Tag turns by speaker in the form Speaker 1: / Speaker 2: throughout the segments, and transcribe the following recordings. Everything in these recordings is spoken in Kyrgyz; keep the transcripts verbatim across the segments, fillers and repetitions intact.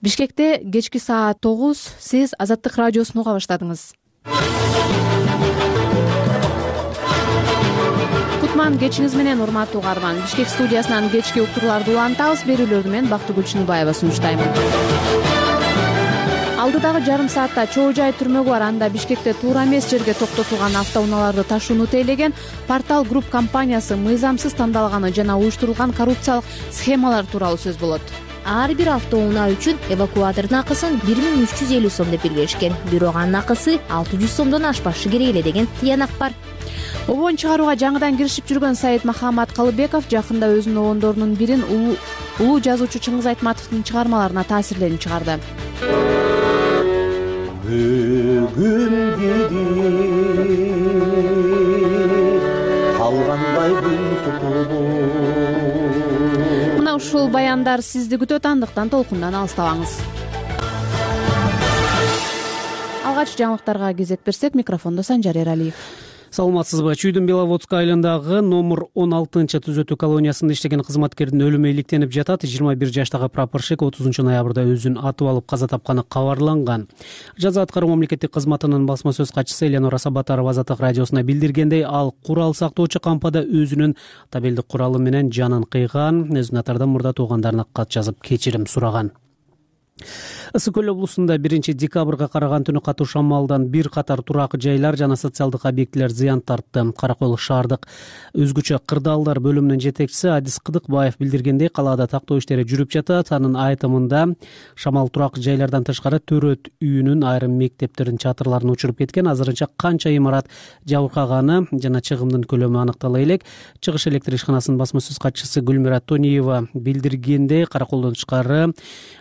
Speaker 1: Бишкекте кечки саат тогуз сиз Азаттык радиосун уга баштадыңыз. Кутман кечиңиз менен урматтуу угарман. Бишкек студиясынан кечки уктурууларды улантабыз. Берүүлөрдү мен Бактыгүл Чыныбаева сунуштайм. Алдыдагы жарым саатта чоо жай түрмөгү бар. Анда Бишкекте туура эмес жерге токтотулган автоунааларды ташууну тейлеген Портал Групп компаниясы мыйзамсыз тандалганы жана уюштурулган коррупциялык схемалар тууралуу сөз болот.
Speaker 2: Ар бир автоунаа үчүн эвакуатордун акысын бир миң үч жүз элүү сом деп белгилешкен. Бирок анын акысы алты жүз сомдон ашпашы керек эле деген тыянак бар.
Speaker 1: Обон чыгарууга жаңыдан киришип жүргөн Саид Махамат Калыбеков жакында өзүнүн обондорунун бирин улуу жазуучу Чыңгыз Айтматовдун чыгармаларына таасирленип чыгарды.
Speaker 3: Бүгүн калгандай күн тутулду.
Speaker 1: Мына ушул баяндар сизди күтөт, андыктан толкундан алыстабаңыз. Алгач жаңылыктарга кезек берсек, микрофондо Санжар Эралиев.
Speaker 4: Саламатсызбы? Чүйдүн Беловодск айылындагы номер он алтынчы түзөтүү колониясында иштеген кызматкердин өлүмү иликтенип жатат. жыйырма бир жаштагы прапорщик отузунчу ноябрда өзүн атып алып каза тапканы кабарланган. Жаза аткаруу мамлекеттик кызматынын басма сөз катчысы Эленора Сабатарова Азаттык радиосуна билдиргендей, ал курал сактоочу кампада өзүнүн табелдик куралы менен жанын кыйган, өзүнүн атардан мурда туугандарына кат жазып кечирим сураган. Ысык көл облусунда биринчи декабрга караган түнү катуу шамалдан бир катар турак жайлар жана социалдык объектилер зыян тартты. Каракөл шаардык өзгөчө кырдаалдар бөлүмүнүн жетекчиси Адис Кыдыкбаев билдиргендей, калаада тактоо иштери жүрүп жатат. Анын айтымында шамал турак жайлардан тышкары төрөт үйүнүн айрым мектептердин чатырларын учуруп кеткен. Азырынча канча имарат жабыркаганы жана чыгымдын көлөмү аныктала элек. Чыгыш электр ишканасынын басма сөз катчысы Гүлмира Тониева билдиргендей, Каракөлдөн тышкары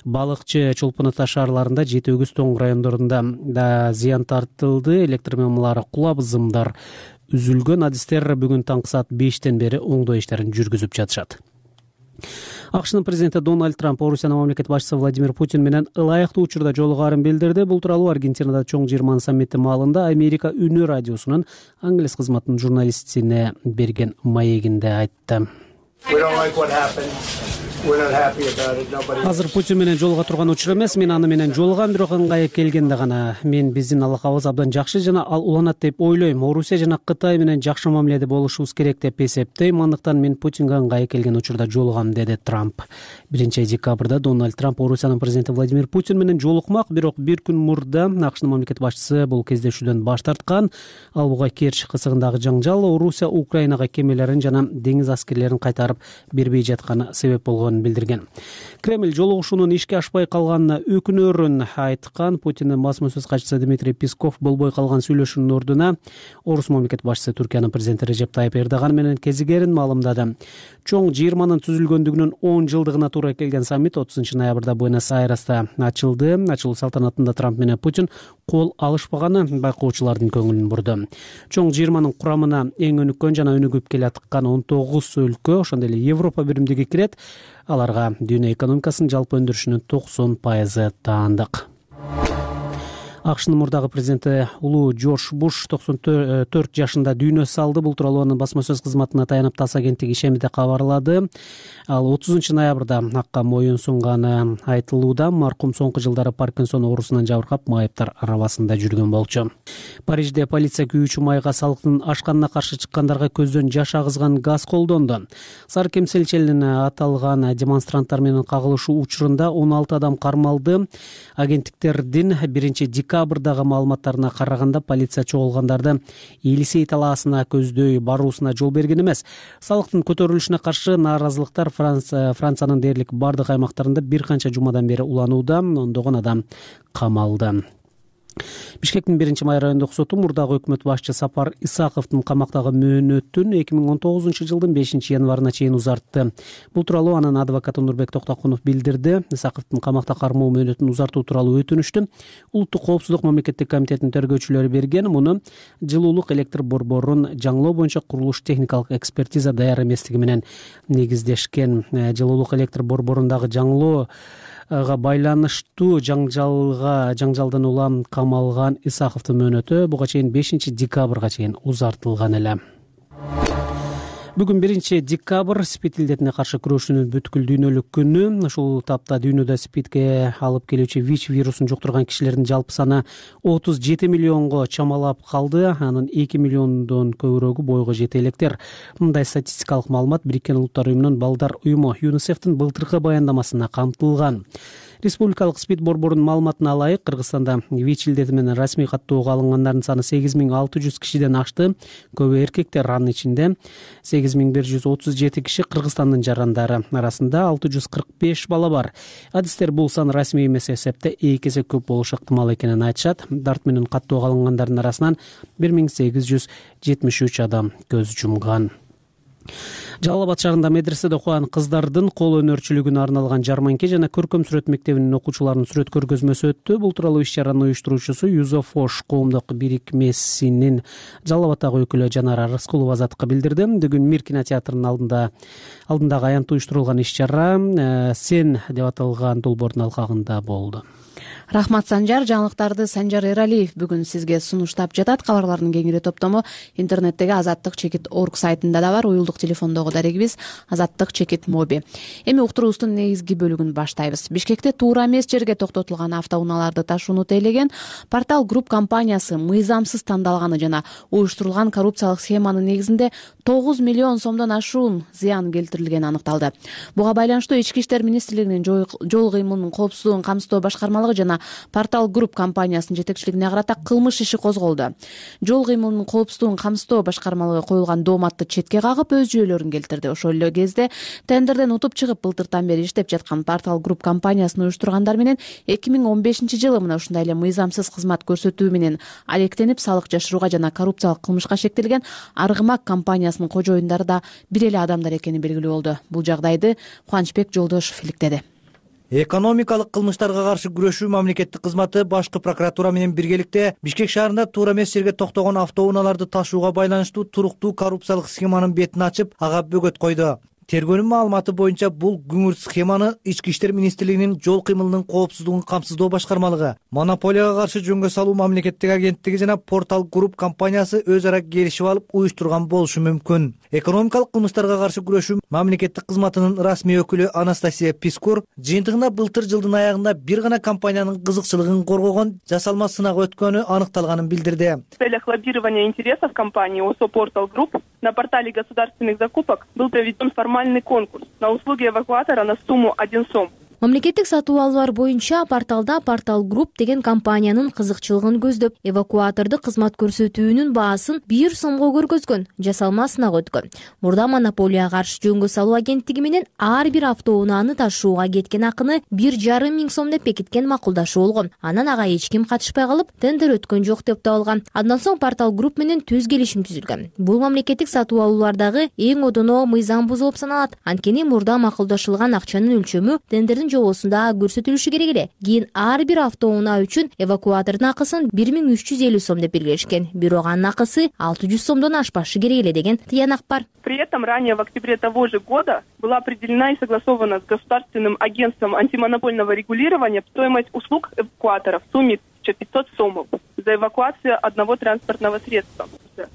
Speaker 4: балыкчы, Чолпон ата шаарларында, Жети Өгүз, Тоң райондорунда да зыян тартылды. Электр мамалары кулап, зымдар үзүлгөн. Адистер бүгүн таңкы саат бештен бери оңдоо иштерин жүргүзүп жатышат. АКШнын президенти Дональд Трамп Орусиянын мамлекет башчысы Владимир Путин менен ылайыктуу учурда жолугаарын билдирди. Бул тууралуу Аргентинада чоң жыйырманын саммити маалында Америка үнү радиосунун англис кызматынын журналистине берген маегинде айтты. Азыр Путин менен жолуга турган учур эмес, мен аны менен жолугам, бирок ыңгайы келгенде гана. Мен биздин алакабыз абдан жакшы жана ал уланат деп ойлойм. Орусия жана Кытай менен жакшы мамиледе болушубуз керек деп эсептейм. Андыктан мен Путинге ыңгайы келген учурда жолугам, деди Трамп. биринчи декабрда Дональд Трамп Орусиянын президенти Владимир Путин менен жолукмак, бирок бир күн мурда АКШнын мамлекет башчысы бул кездешүүдөн баш тарткан. Ал буга Керчь кысыгындагы жаңжал Орусия Украинага кемелерин жана деңиз аскерлерин кайтарып бербей жатканы себеп болгонун билдирген. Кремль жолугушуунун ишке ашпай калганына өкүнөрүн айткан. Путиндин басма сөз катчысы Дмитрий Песков болбой калган сүйлөшүүнүн ордуна Орус мамлекет башчысы Түркиянын президенти Режеп Тайып Эрдоган менен кезигерин маалымдады. Чоң жыйырманын түзүлгөндүгүнүн он жылдыгына туура келген саммит отузунчу ноябрда Буэнос-Айресте ачылды. Ачылуу салтанатында Трамп менен Путин кол алышпаганы байкоочулардын көңүлүн бурду. Чоң жыйырманын курамына эң өнүккөн жана өнүгүп келе аткан он тогуз өлкө, ошондой эле Европа биримдиги кирет. Аларга дүйнө экономикасынын жалпы өндүрүшүнүн токсон пайызы таандык. АКШнын мурдагы президенти улуу Джордж Буш токсон төрт жашында дүйнө салды. Бул тууралуу анын басма сөз кызматына таянып ТАСС агенттиги ишемиде кабарлады. Ал отузунчу ноябрда акка моюн сунганы айтылууда. Маркум соңку жылдары Паркинсон оорусунан жабыркап, майыптар арабасында жүргөн болчу. Парижде полиция күйүүчү майга салыктын ашканына каршы чыккандарга көздөн жаш агызган газ колдонду. Сар кемселчилин аталган демонстранттар менен кагылышуу учурунда он алты адам кармалды. Агенттиктердин биринчи декабрдагы маалыматтарына караганда, полиция чогулгандарды Елисей талаасына көздөй баруусуна жол берген эмес. Салыктын көтөрүлүшүнө каршы нааразылыктар Франция, Франциянын дээрлик бардык аймактарында бир канча жумадан бери уланууда. Ондогон адам камалды. Бишкектин биринчи май райондук соту мурдагы өкмөт башчы Сапар Исаковдун камактагы мөөнөтүн эки миң он тогузунчу жылдын бешинчи январына чейин узартты. Бул тууралуу анын адвокаты Нурбек Токтокунов билдирди. Исаковдун камакта кармоо мөөнөтүн узартуу тууралуу өтүнүштү Улуттук коопсуздук мамлекеттик комитетинин тергөөчүлөрү берген. Муну жылуулук электр борборун жаңылоо боюнча курулуш техникалык экспертиза даяр эместиги менен негиздешкен. Жылуулук электр борборундагы жаңылоо байланыштуу жаңжалга жаңжалдан улам камалган Исаковдун мөөнөтү буга чейин бешинчи декабрга чейин узартылган эле. Бүгүн биринчи декабрь спид илдетине каршы күрөшүүнүн бүткүл дүйнөлүк күнү. Ушул тапта дүйнөдө спидке алып келүүчү ВИЧ вирусун жуктурган кишилердин жалпы саны отуз жети миллионго чамалап калды. Анын эки миллиондон көбүрөгү бойго жете электер. Мындай статистикалык маалымат Бириккен Улуттар уюмунун балдар уюму ЮНИСЕФтин былтыркы баяндамасына камтылган. Республикалык спид борборунун маалыматына ылайык, Кыргызстанда ВИЧ илдети менен расмий каттоого алынгандардын саны сегиз миң алты жүз кишиден ашты. Көбү эркектер, анын ичинде сегиз миң бир жүз отуз жети киши Кыргызстандын жарандары. Арасында алты жүз кырк беш бала бар. Адистер бул сан расмий эмес эсепте эки эсе көп болушу ыктымал экенин айтышат. Дарт менен каттоого алынгандардын арасынан бир миң сегиз жүз жетимиш үч адам көз жумган. Жалал Абад шаарында медреседе окуган кыздардын кол өнөрчүлүгүнө арналган жарманке жана көркөм сүрөт мектебинин окуучуларынын сүрөт көргөзмөсү өттү. Бул тууралуу иш-чаранын уюштуруучусу Юзофош коомдук бирикмесинин Жалал Абаддагы өкүлү Жанара Рыскулова Азаттыкка билдирди. Бүгүн Мир кинотеатрынын алдында алдындагы аянтта уюштурулган иш-чара «Сен» деп аталган долбоордун алкагында болду.
Speaker 1: Рахмат, Санжар. Жаңылыктарды Санжар Эралиев бүгүн сизге сунуштап жатат. Кабарлардын кеңири топтому интернеттеги азаттык чекит орг сайтында да бар. Уюлдук телефондогу дарегибиз азаттык чекит моби. Эми уктуруубуздун негизги бөлүгүн баштайбыз. Бишкекте туура эмес жерге токтотулган автоунaalарды ташууну тейлеген Портал Групп компаниясы мыйзамсыз тандалганы жана уюштурулган коррупциялык схеманын негизинде тогуз миллион сомдон ашуун зыян келтирилгени аныкталды. Буга байланыштуу Ички иштер министрлигинин жол кыймылынын коопсуздугун камсыздоо башкармалыгы жана Портал Групп компаниясынын жетекчилигине карата кылмыш иши козголду. Жол кыймылынын коопсуздугун камсыздоо башкармалыгы коюлган дооматты четке кагып өз жүйөлөрүн келтирди. Ошол эле кезде тендерден утуп чыгып былтыртан бери иштеп жаткан Портал Групп компаниясын уюштургандар менен эки миң он бешинчи жылы мына ушундай эле мыйзамсыз кызмат көрсөтүү менен алектенип салык жашырууга жана коррупциялык кылмышка шектелген Аргымак компаниясынын кожоюндары да бир эле адамдар экени белгилүү болду. Бул жагдайды Кубанычбек Жолдошов иликтеди.
Speaker 5: Экономикалык кылмыштарга каршы күрөшүү мамлекеттик кызматы башкы прокуратура менен биргеликте Бишкек шаарында туура эмес жерге токтогон автоунaalарды ташууга байланыштуу туруктуу коррупциялык схеманын бетин ачып, ага бөгөт койду. Тергөөнүн маалыматы боюнча бул күңүрт схеманы Ички иштер министрлигинин жол кыймылынын коопсуздугун камсыздоо башкармалыгы, монополияга каршы жөнгө салуу мамлекеттик агенттиги жана Портал Групп компаниясы өз ара келишип алып уюштурган болушу мүмкүн. Экономикалык кылмыштарга каршы күрөшүү мамлекеттик кызматынын расмий өкүлү Анастасия Пискур жыйынтыгында былтыр жылдын аягында бир гана компаниянын кызыкчылыгын коргогон жасалма сынак өткөнү аныкталганын билдирди.
Speaker 6: В целях лоббирования интересов компании ОСО Портал Групп на портале государственных закупок был проведен формальный конкурс на услуги эвакуатора на сумму один сом.
Speaker 2: Мамлекеттик сатуу алуулар боюнча порталда Портал Групп деген компаниянын кызыкчылыгын көздөп, эвакуаторду кызмат көрсөтүүнүн баасын бир сомго көргөзгөн, жасалма сынак өткөн. Мурда монополияга каршы жөнгө салуу агенттиги менен ар бир автоунааны ташууга кеткен акыны бир жарым миң сом деп бекиткен макулдашуу болгон. Анан ага эч ким катышпай калып, тендер өткөн жок деп табылган. Андан соң Портал Групп менен түз келишим түзүлгөн. Бул мамлекеттик сатуу алуулардагы эң одоно мыйзам бузуу болуп саналат. Анткени мурда макулдашылган акчанын өлчөмү тендердин жобосунда көрсөтүлүшү керек эле. Кийин ар бир автоунаа үчүн эвакуатордун акысын бир миң үч жүз элүү сом деп белгилешкен. Бирок анын акысы алты жүз сомдон ашпашы керек эле деген тыянак бар.
Speaker 6: При этом ранее в октябре того же года была определена и согласована с Государственным агентством антимонопольного регулирования стоимость услуг эвакуатора в сумме тысяча пятьсот сомов за эвакуацию одного транспортного средства.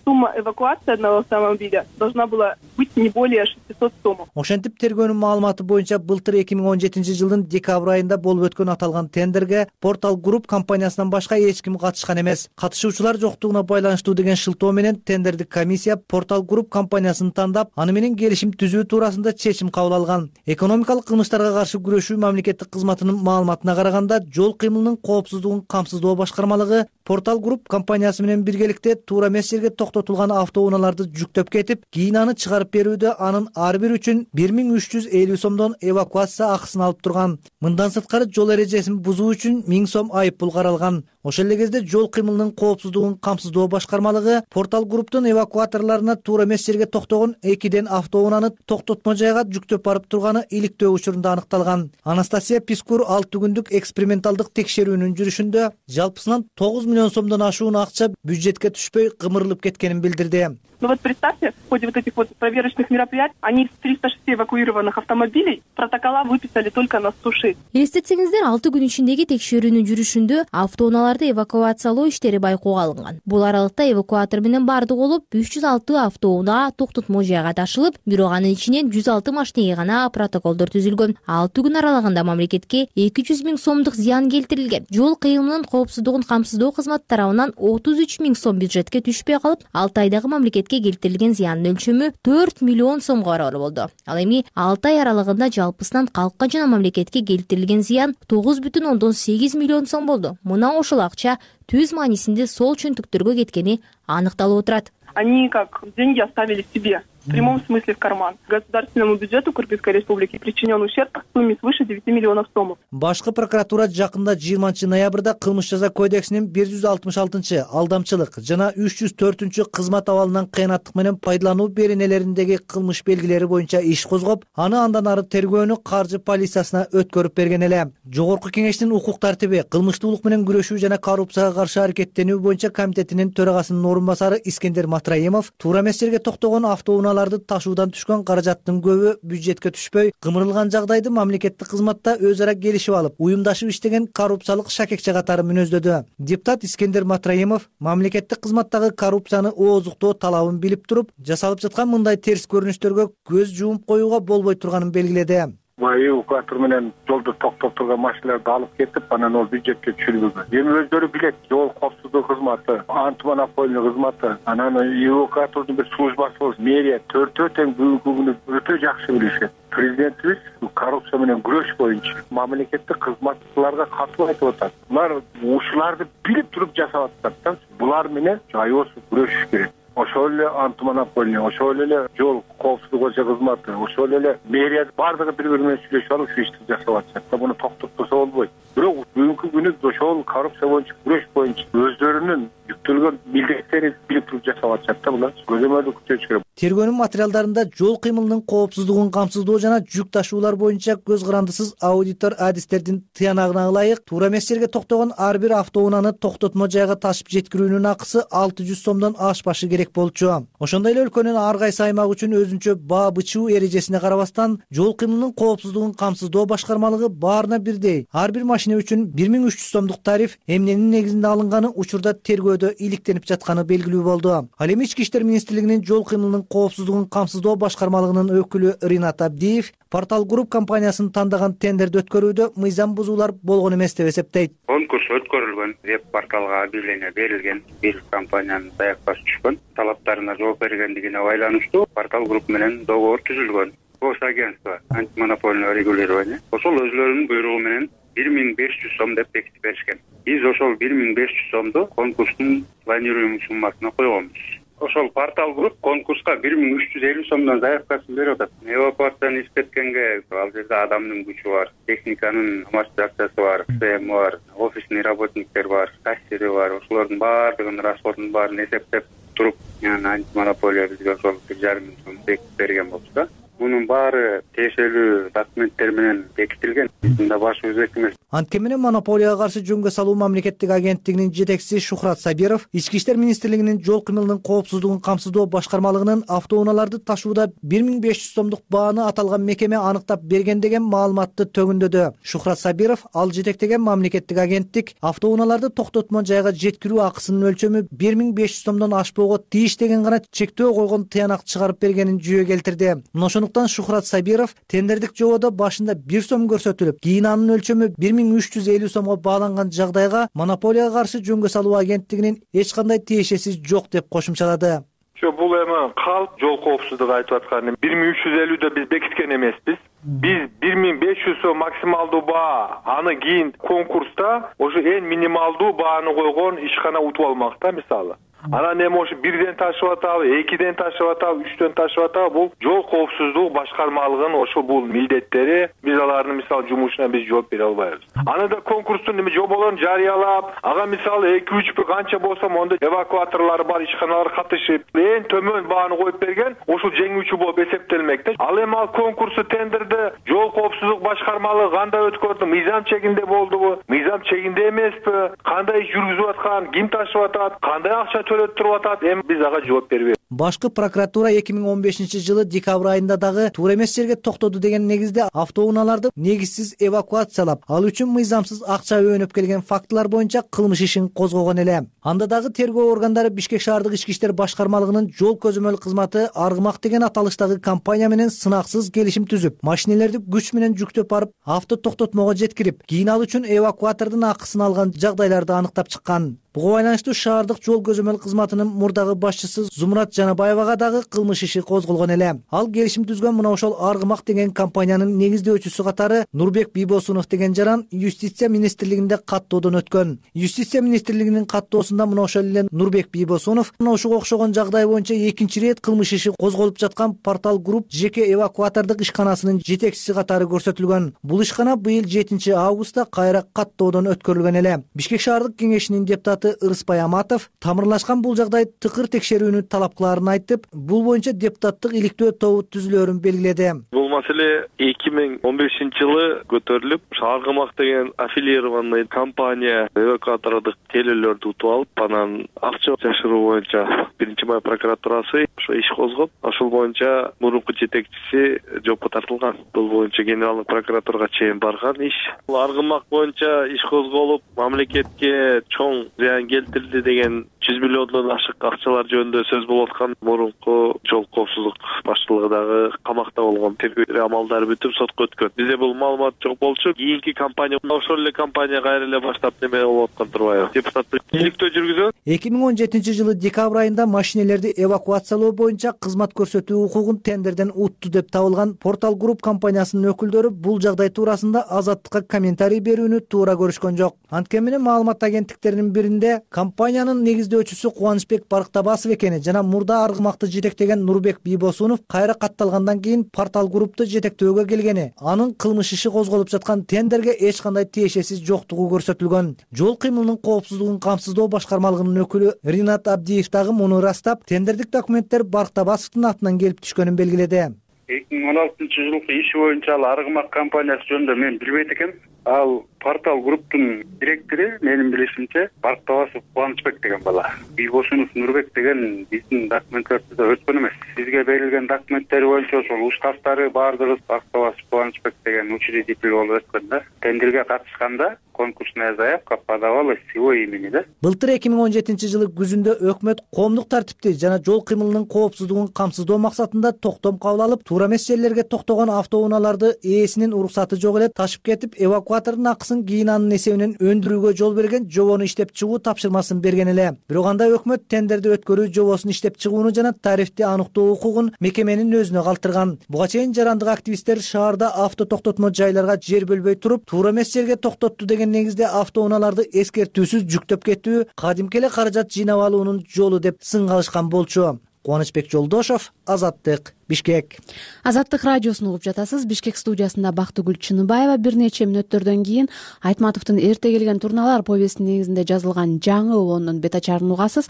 Speaker 6: Сумма эвакуации одного автомобиля должна была быть не более шестисот сомов.
Speaker 5: Ошентип тергөөнүн маалыматы боюнча былтыр эки миң он жетинчи жылдын декабрь айында болуп өткөн аталган тендерге Портал Групп компаниясынан башка эч ким катышкан эмес. Катышуучулар жоктугуна байланыштуу деген шылтоо менен тендердик комиссия Портал Групп компаниясын тандап, аны менен келишим түзүү туурасында чечим кабыл алган. Экономикалык кылмыштарга каршы күрөшүү мамлекеттик кызматынын маалыматына караганда, жол кыймылынын коопсуздугун камсыздоо башкармалыгы Портал Групп компаниясы менен биргеликте туура эмес жерге токтотулган автоунааларды жүктөп кетип, кийин аны чыгарып берүүдө анын ар бир үчүн бир миң үч жүз элүү сомдон эвакуация акысын алып турган. Мындан сырткары жол эрежесин бузуу үчүн миң сом айып пул каралган. Ошол эле кезде жол кыймылынын коопсуздугун камсыздоо башкармалыгы Портал Групптун эвакуаторлоруна туура эмес жерге токтогон экиден автоунааны токтотмо жайга жүктөп барып турганы иликтөө учурунда аныкталган. Анастасия Пискур алты күндүк эксперименталдык текшерүүнүн жүрүшүндө жалпысынан тогуз миллион сомдон ашуун акча бюджетке түшпөй кымырылып кеткенин билдирди.
Speaker 6: Но вот представьте, в ходе вот этих вот проверочных мероприятий они из триста шести эвакуированных автомобилей протокола выписали только на сто шесть.
Speaker 2: Эстетсеңиздер, алты күн ичиндеги текшерүүнүн жүрүшүндө автоунааларды эвакуациялоо иштери байкоого алынган. Бул аралыкта эвакуатор менен бардык болуп үч жүз алты автоунаа токтотмо жайга ташылып, бирок анын ичинен жүз алты машинеге гана протоколдор түзүлгөн. алты күн аралыгында мамлекетке эки жүз миң сомдук зыян келтирилген. Жол кыйымынын коопсуздугун камсыздоо кызматы тарабынан отуз үч миң сом бюджетке түшпөй калып, алты айдагы мамлекетке келтирилген зыяндын өлчөмү төрт миллион сомго барабар болду. Ал эми алты ай аралыгында жалпысынан калкка жана мамлекетке келтирилген зыян тогуз бүтүн ондон сегиз миллион сом болду. Мына ошол акча түз маанисинде сол чөнтүктөргө кеткени аныкталып отурат.
Speaker 6: Они как деньги оставили себе. В прямом смысле в карман. Государственному бюджету Кыргызской республики причинен ущерб в сумме свыше девяти миллионов сомов.
Speaker 5: Башкы прокуратура жакында жыйырманчы ноябрда кылмыш жаза кодексинин бир жүз алтымыш алтынчы алдамчылык жана үч жүз төртүнчү кызмат абалынан кыянаттык менен пайдалануу беренелериндеги кылмыш белгилери боюнча иш козгоп, аны андан ары тергөөнү каржы полициясына өткөрүп берген эле. Жогорку кеңештин укук тартиби, кылмыштуулук менен күрөшүү жана коррупцияга каршы аракеттенүү боюнча комитетинин төрагасынын орун басары Искендер Матраимов туура эмес жерге токтогон автоунаа ташуудан түшкөн каражаттын көбү бюджетке түшпөй, кымырылган жагдайды мамлекеттик кызматта өз ара келишип алып, уюмдашып иштеген коррупциялык шакекче катары мүнөздөдү. Депутат Искендер Матраимов мамлекеттик кызматтагы коррупцияны ооздуктоо талабын билип туруп, жасалып жаткан мындай терс көрүнүштөргө көз жумуп коюуга болбой турганын белгиледи.
Speaker 7: Эвакуатор менен жолду токтоп турган машиналарды алып кетип, анан ол бюджетке түшүрүлгөн. Эми өздөрү билет, жол коопсуздук кызматы, антимонополия кызматы, анан эвакуатордун бир службасы болсун, мэрия төртөө тең бүгүнкү күнү өтө жакшы билишет. Президентибиз коррупция менен күрөш боюнча мамлекеттик кызматчыларга катуу айтып атат. Булар ушуларды билип туруп жасап атышат. Булар менен аябай күрөшүш керек. Ошол эле антимонополия, ошол эле жол коопсуздук кызматы, ошол эле мэрия бардыгы бири-бири менен сүйлөшүп алып ушу ишти жасап атышат. Буну токтотпосо болбойт. Бирок бүгүнкү күнү ошол коррупция боюнча күрөш боюнча өздөрүнүн жүктөлгөн милдеттерин билип туруп жасап атышат да, булар көзөмөлдү күтүш керек.
Speaker 5: Тергөөнүн материалдарында жол кыймылынын коопсуздугун камсыздоо жана жүк ташуулар боюнча көз карандысыз аудитор адистердин тыянагына ылайык туура эмес жерге токтогон ар бир автоунааны токтотмо жайга ташып жеткирүүнүн акысы алты жүз сомдон ашпашы керек болчу. Ошондой эле өлкөнүн ар кайсы аймак үчүн өзүнчө баа бычуу эрежесине карабастан жол кыймылынын коопсуздугун камсыздоо башкармалыгы баарына бирдей ар бир машина үчүн бир миң үч жүз сомдук тариф эмненин негизинде алынганы учурда тергөөдө иликтенип жатканы белгилүү болду. Ал эми Ички иштер министрлигинин жол кыймылынын коопсуздугун камсыздоо башкармалыгынын өкүлү Ринат Абдиев Портал Групп компаниясын тандаган тендерди өткөрүүдө мыйзам бузуулар болгон эмес деп эсептейт.
Speaker 8: Конкурс өткөрүлгөн, веб-порталга объявление берилген, бир компаниянын даяк башы түшкөн, талаптарына жооп бергендигине байланыштуу Портал Групп менен договор түзүлгөн. Госагентство антимонопольное регулирование ошол өзлөрүнүн буйругу менен бир миң беш жүз сом деп бекитип беришкен. Биз ошол бир миң беш жүз сомду конкурстун планируемый суммасына койгонбуз. Ошол Портал Групп конкурска бир миң үч жүз элүү сомдон заявкасын берип атат. Эвакуацияны иштеткенге ал жерде адамдын күчү бар, техниканын амортизациясы бар, СМ бар, офисный работниктер бар, кассири бар. Ошолордун баардыгынын расходун баарын эсептеп туруп, антимонополия бизге ошол бир жарым миң сом бекитип берген болчу да. Мунун баары тиешелүү документтер менен бекитилген. Биздин да башыбыз эки эмес.
Speaker 5: Анткени менен монополияга каршы жөнгө салуу мамлекеттик агенттигинин жетекчиси Шухрат Сабиров Ички иштер министрлигинин жол кыймылынын коопсуздугун камсыздоо башкармалыгынын автоунааларды ташууда бир миң беш жүз сомдук бааны аталган мекеме анықтап берген деген маалыматты төгүндөдү. Шухрат Сабиров ал жетектеген мамлекеттик агенттик автоунааларды токтотмо жайга жеткирүү акысынын өлчөмү бир миң беш жүз сомдон ашпоого тийиш деген гана чектөө койгон тыянак чыгарып бергенин жүйө келтирди. Ошондуктан Шухрат Сабиров тендердик жободо башында бир сом көрсөтүлүп, кийин анын өлчөмү бир миң үч жүз элүү сомго бааланган жагдайга монополияга каршы жөнгө салуу агенттигинин эч кандай тиешеси жок деп кошумчалады.
Speaker 9: Бул эми калп жол коопсуздугу айтып аткан бир миң үч жүз элүүдө биз бекиткен эмеспиз. Биз бир миң беш жүз сом максималдуу баа, аны кийин конкурста ошо эң минималдуу бааны койгон ишкана утуп алмак да, мисалы. Анан эми ошо бирден ташып атабы, экиден ташып атабы, үчтөн ташып атабы, бул жол коопсуздук башкармалыгынын ошо бул милдеттери. Биз алардын мисалы жумушуна биз жооп бере албайбыз. Аны да конкурстун эми жоболорун жарыялап, ага мисалы эки үч бир канча болсо монда эвакуаторлор бар, ишканалар катышып, эң төмөн бааны коюп берген, ошол жеңүүчү болуп эсептелмек да. Ал эми ал конкурсту тендерди жол коопсуздук башкармалыгы кандай өткөрдү, мыйзам чегинде болдубу, мыйзам чегинде эмеспи, кандай иш жүргүзүп аткан, ким ташып атат, кандай акча төлөп туруп атат, эми биз ага жооп бербейбиз.
Speaker 5: Башкы прокуратура эки миң он бешинчи жылы декабрь айында дагы туура эмес жерге токтоду деген негизде автоунааларды негизсиз эвакуациялап, ал үчүн мыйзамсыз акча өөнөп келген фактылар боюнча кылмыш ишин козгогон эле. Анда дагы тергөө органдары Бишкек шаардык ички иштер башкармалыгынын жол көзөмөл кызматы Аргымак деген аталыштагы компания менен сынаксыз келишим түзүп, машинелерди күч менен жүктөп барып, авто токтотмого жеткирип, кийин ал үчүн эвакуатордун акысын алган жагдайларды аныктап чыккан. Буга байланыштуу шаардык жол көзөмөл кызматынын мурдагы башчысы Зумрат Жанабаевага дагы кылмыш иши козголгон эле. Ал келишим түзгөн мына ошол Аргымак деген компаниянын негиздөөчүсү катары Нурбек Бийбосунов деген жаран Юстиция министрлигинде каттоодон өткөн. Юстиция министрлигинин каттоосунда мына ошол эле Нурбек Бийбосунов мына ушуга окшогон жагдай боюнча экинчи ирет кылмыш иши козголуп жаткан Портал Групп жеке эвакуатордук ишканасынын жетекчиси катары көрсөтүлгөн. Бул ишкана быйыл жетинчи августта кайра каттоодон өткөрүлгөн эле. Бишкек шаардык кеңешинин депутаты Ырыспай Аматов тамырлашкан бул жагдай тыкыр текшерүүнү талап кылаарын айтып, бул боюнча депутаттык иликтөө тобу түзүлөөрүн белгиледи.
Speaker 9: Бул маселе эки миң он бешинчи жылы көтөрүлүп, Аргымак деген аффилированный компания эвакуатордук телелерди утуп алып, анан акча жашыруу боюнча биринчи май прокуратурасы ошо иш козгоп, ошол боюнча мурунку жетекчиси жоопко тартылган. Бул боюнча генералдык прокуратурага чейин барган иш. Аргымак боюнча иш козголуп, мамлекетке чоң зыян келтирди деген жүз миллиондон ашык акчалар жөнүндө сөз болуп аткан мурунку жол коопсуздук башчылыгы дагы камакта болгон. Тергөө амалдары бүтүп сотко өткөн. Бизде бул маалымат жок болчу. Кийинки компания ошол эле компания кайра эле баштап неме болуп аткан турбайбы? Депутаттык иликтөө жүргүзөт.
Speaker 5: эки миң он жетинчи жылы декабрь айында машинелерди эвакуациялоо боюнча кызмат көрсөтүү укугун тендерден утту деп табылган Портал Групп компаниясынын өкүлдөрү бул жагдай туурасында Азаттыкка комментарий берүүнү туура көрүшкөн жок. Анткени менен маалымат агенттиктеринин биринде компаниянын негиздөөчүсү Кубанычбек Барктабасов экени жана мурда Аргымакты жетектеген Нурбек Бийбосунов кайра катталгандан кийин Портал Группту жетектөөгө келгени, анын кылмыш иши козголуп жаткан тендерге эч кандай тиешеси жоктугу көрсөтүлгөн. Жол кыймылынын коопсуздугун камсыздоо башкармалыгынын өкүлү Ринат Абдиев дагы муну ырастап, тендердик документтер Барктабасовдун атынан келип түшкөнүн белгиледи.
Speaker 8: эки миң он алтынчы жылкы иши боюнча ал Аргымак компаниясы жөнүндө мен билбейт экенм. Ал Портал Групптун директору менин билишимче Барктабасов Кубанычбек деген бала. Бийбосунов Нурбек деген биздин документтерибизде өткөн эмес. Бизге берилген документтер боюнча ошол уставтары баардыгы Барктабасов Кубанычбек деген учредитель болуп өткөн да. Тендерге катышканда конкурсная заявка подавалась с его имени, да?
Speaker 5: Былтыр эки миң он жетинчи жылы күзүндө өкмөт коомдук тартипти жана жол кыймылынын коопсуздугун камсыздоо максатында токтом кабыл алып, туура эмес жерлерге токтогон автоунааларды ээсинин уруксаты жок эле ташып кетип, эвакуатордун акысын кийин анын эсебинен өндүрүүгө жол берген жобону иштеп чыгуу тапшырмасын берген эле. Бирок анда өкмөт тендерди өткөрүү жобосун иштеп чыгууну жана тарифти аныктоо укугун мекеменин өзүнө калтырган. Буга чейин жарандык активисттер шаарда авто токтотмо жайларга жер бөлбөй туруп, туура эмес жерге токтотту деген негизде автоунааларды эскертүүсүз жүктөп кетүү кадимки эле каражат жыйнап алуунун жолу деп сын калышкан болчу. Кубанычбек Жолдошов, Азаттык, Бишкек.
Speaker 1: Азаттык радиосун угуп жатасыз. Бишкек студиясында Бактыгүл Чыныбаева. Бир нече мүнөттөрдөн кийин Айтматовдун Эрте келген турналар повестинин негизинде жазылган жаңы обондун бет ачарын угасыз.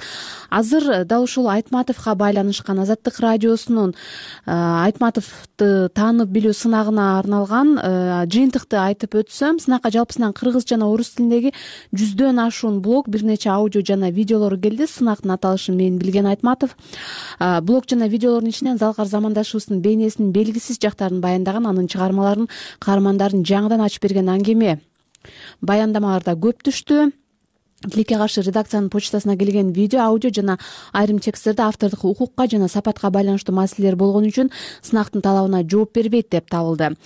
Speaker 1: Азыр дал ушул Айтматовго байланышкан Азаттык радиосунун Айтматовду таанып билүү сынагына арналган жыйынтыкты айтып өтсөм, сынакка жалпысынан кыргыз жана орус тилиндеги жүздөн ашуун блог, бир нече аудио жана видеолор келди. Сынактын аталышын мен билген Айтматов блог жана видеолордун ичинен Залкар замандашыбыздын бейнесинин белгисиз жактарын баяндаган, анын чыгармаларын каармандарын жаңыдан ачып берген аңгеме баяндамаларда көп түштү. Тилекке каршы редакциянын почтасына келген видео, аудио жана айрым тексттерде автордук укукка жана сапатка байланыштуу маселелер болгон үчүн сынактын талабына жооп бербейт деп табылды.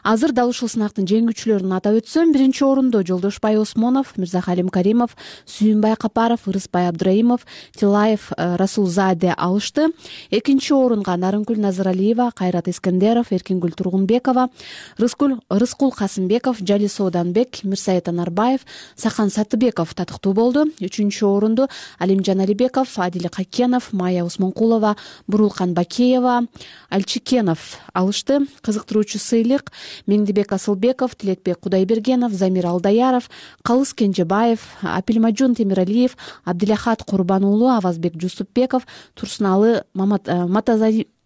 Speaker 1: Азыр дал ушул сынактын жеңүүчүлөрүн атап өтсөм, биринчи орунду Жолдошбай Осмонов, Мирзахалим Каримов, Сүйүнбай Капаров, Ырыспай Абдраимов, Тилаев Расулзаде алышты. Экинчи орунга Нарынкүл Назаралиева, Кайрат Искендеров, Эркингүл Тургунбекова, Рыскул Касымбеков, Жали Сооданбек, Мирсаит Анарбаев, Сахан Сатыбеков татыктуу болду. Үчүнчү орунду Алимжан Алибеков, Адил Какенов, Майя Усмонкулова, Бурулкан Бакеева, Альчикенов алышты. Кызыктыруучу сыйлык Меңдибек Асылбеков, Тилекбек Кудайбергенов, Замир Алдаяров, Калыс Кенжебаев, Апилмажун Темиралиев, Абдилахат Курбан уулу, Авазбек Жусупбеков, Турсуналы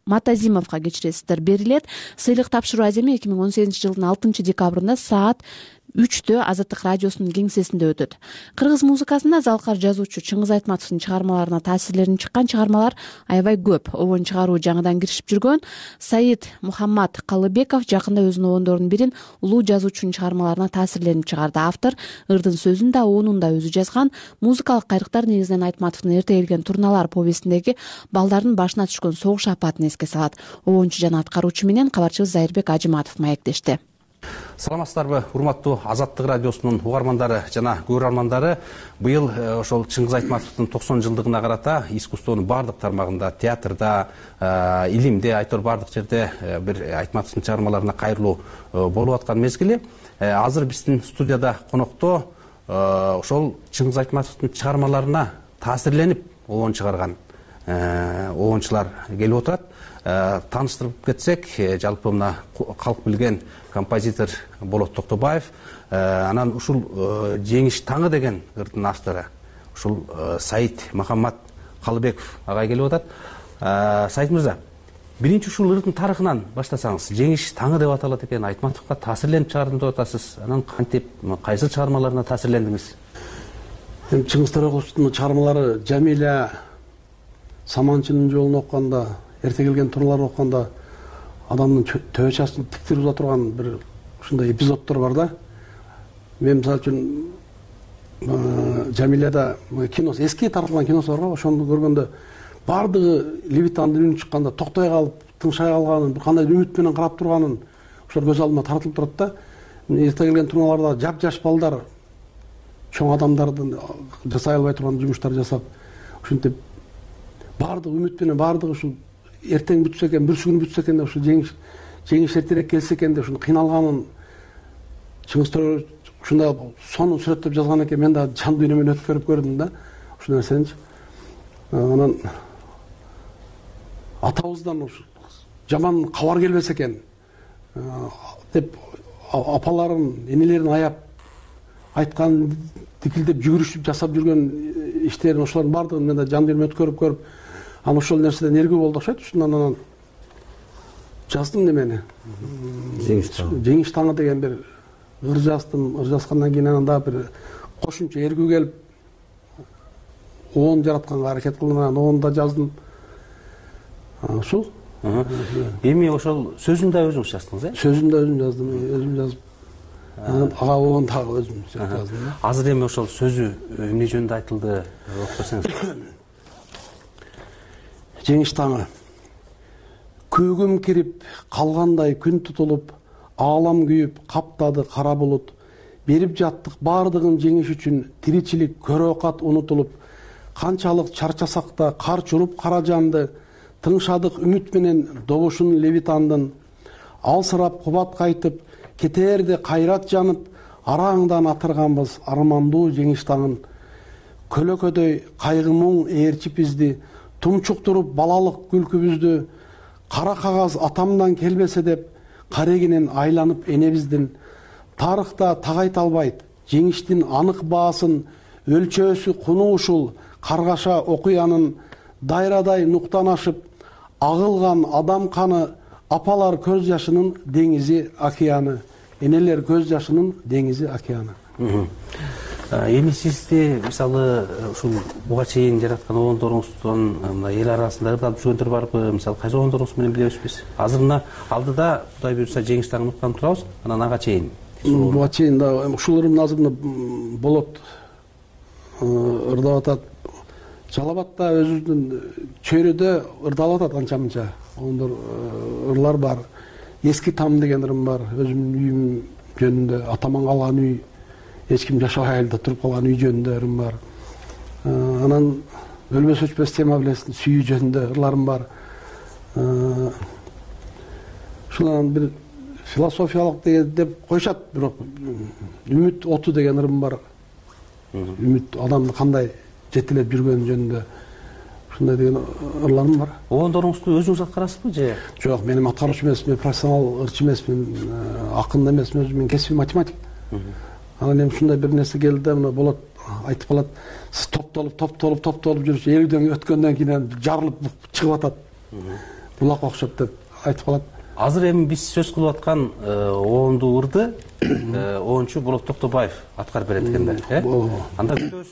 Speaker 1: Матазимовго кечиресиздер берилет. Сыйлык тапшыруу аземи эки миң он сегизинчи жылдын алтынчы декабрында саат үчтө Азаттык радиосунун кеңсесинде өтөт. Кыргыз музыкасында залкар жазуучу Чыңгыз Айтматовдун чыгармаларына таасирлерин чыккан чыгармалар аябай көп. Обон чыгаруу жаңыдан киришип жүргөн Саид Мухаммад Калыбеков жакында өзүнүн обондорунун бирин улуу жазуучунун чыгармаларына таасирленип чыгарды. Автор ырдын сөзүн да оонун да өзү жазган. Музыкалык кайрыктар негизинен Айтматовдун эрте келген турналар повестиндеги балдардын башына түшкөн согуш апатын эске салат. Обончу жана аткаруучу менен кабарчыбыз Зайырбек Ажыматов маектешти.
Speaker 10: Саламатсыздарбы, урматтуу Азаттык радиосунун угармандары жана көрөрмандары. Быйыл ошол Чыңгыз Айтматовдун токсон жылдыгына карата искусствонун баардык тармагында, театрда, илимде, айтор баардык жерде бир Айтматовдун чыгармаларына кайрылуу болуп аткан мезгили. Азыр биздин студияда конокто ошол Чыңгыз Айтматовдун чыгармаларына таасирленип обон чыгарган обончулар келип отурат. Тааныштырып кетсек, жалпы мына калк билген композитор Болот Токтобаев, анан ушул Жеңиш таңы деген ырдын автору ушул Саид Мухаммад Калыбеков агай келип атат. Саид мырза, биринчи ушул ырдын тарыхынан баштасаңыз, Жеңиш таңы деп аталат экен, Айтматовго таасирленип чыгардым деп атасыз. Анан кантип, кайсы чыгармаларына таасирлендиңиз?
Speaker 11: Эми Чыңгыз Төрөкуловдун чыгармалары Жамиля, Саманчынын жолун окуганда, эрте келген турларды окуганда адамдын төбө чачын тиктирип уза турган бир ушундай эпизоддор бар да. Мен мисалы үчүн Жамиляда киносу, эски тартылган киносу бар го, ошону көргөндө баардыгы Левитандын үнү чыкканда токтой калып, тынчай калганын, кандай үмүт менен карап турганын ошол көз алдыма тартылып турат да. Эрте келген турналарда жап-жаш балдар чоң адамдардын жасай албай турган жумуштар жасап, ушинтип баардык үмүт менен баардыгы ушул эртең бүтсө экен, бүрсү күнү бүтсө экен деп ушул жеңиш жеңиш эртерээк келсе экен деп ушуну кыйналганын Чыңгыз Төрөкулов ушундай сонун сүрөттөп жазган экен. Мен да жан дүйнө менен өткөрүп көрдүм да ушул нерсеничи. Анан атабыздан ушу жаман кабар келбесе экен деп апаларын, энелерин аяп айткан дикилдеп жүгүрүшүп жасап жүргөн иштерин ошолордун баардыгын мен да жан дүйнөм өткөрүп көрүп, анан ошол нерседен эргүү болду окшойт. Ушундан анан жаздым немени. Жеңиш таңы деген бир ыр жаздым. Ыр жазгандан кийин анан дагы бир кошумча эргүү келип оон жаратканга аракет кылдым. Анан оон да жаздым. Ушул.
Speaker 10: Эми ошол сөзүн да өзүңүз жаздыңыз, э?
Speaker 11: Сөзүн да өзүм жаздым, өзүм жазып. Анан ага оон дагы өзүм жаздым.
Speaker 10: Азыр эми ошол сөзү эмне жөнүндө айтылды, окуп берсеңиз.
Speaker 11: Жеңиш таңы. Көгүм кирип, калгандай күн тутулуп, аалам күйүп, каптады кара булут. Берип жаттык баардыгын жеңиш үчүн, тиричилик көрөкат унутулуп, канчалык чарчасак да кар чуруп кара жанды, тыңшадык үмүт менен добушун Левитандын. Алсырап кубат кайтып, кетээрде кайрат жанып, араңдан атырганбыз армандуу жеңиш таңын. Көлөкөдөй кайгы муң ээрчип бизди, тумчуктуруп балалык күлкүбүздү, кара кагаз атамдан келбесе деп, карегинен айланып энебиздин. Тарыхта тагайт албайт, жеңиштин анык баасын, өлчөөсү куну ушул, каргаша окуянын, дайрадай нуктан ашып, агылган адам каны, апалар көз жашынын деңизи океаны, энелер көз жашынын деңизи океаны.
Speaker 10: Эми сизди мисалы ушул буга чейин жараткан обондоруңуздун мына эл арасында ырдап жүргөндөр барбы? Мисалы кайсы обондоруңуз менен билебиз биз? Азыр мына алдыда Кудай буйрса Жеңиш таңын уткан турабыз, анан ага чейин.
Speaker 11: Буга чейин да ушул ырымды азыр Болот ырдап атат. Жалабатта өзүнүн чөйрөдө ырдалып атат анча-мынча. Ондор ырлар бар. Эски там деген ырым бар. Өзүмдүн үйүм жөнүндө, атаман калган үй, эч ким жашабай эле туруп калган үй жөнүндө ырым бар. Анан өлбөс өчпөс тема билесиң, сүйүү жөнүндө ырларым бар. Ушунан бир философиялык деп коюшат, бирок үмүт оту деген ырым бар. Үмүт адамды кандай жетелеп жүргөнү жөнүндө ушундай деген ырларым бар.
Speaker 10: Обондоруңузду өзүңүз аткарасызбы же?
Speaker 11: Жок, мен аткаруучу эмесмин, профессионал ырчы эмесмин, акын эмесмин, өзүм кесиби математик. Анан эми ушундай бир нерсе келди да, мына Болот айтып калат, сиз топтолуп, топтолуп, топтолуп жүрүп, элүүдөн өткөндөн кийин жарылып чыгып атат. Булак окшоп деп айтып калат.
Speaker 10: азыр эми биз сөз кылып аткан обондуу ырды обончу Болот Токтобаев аткарып берет экен да, э? Анда күтөбүз.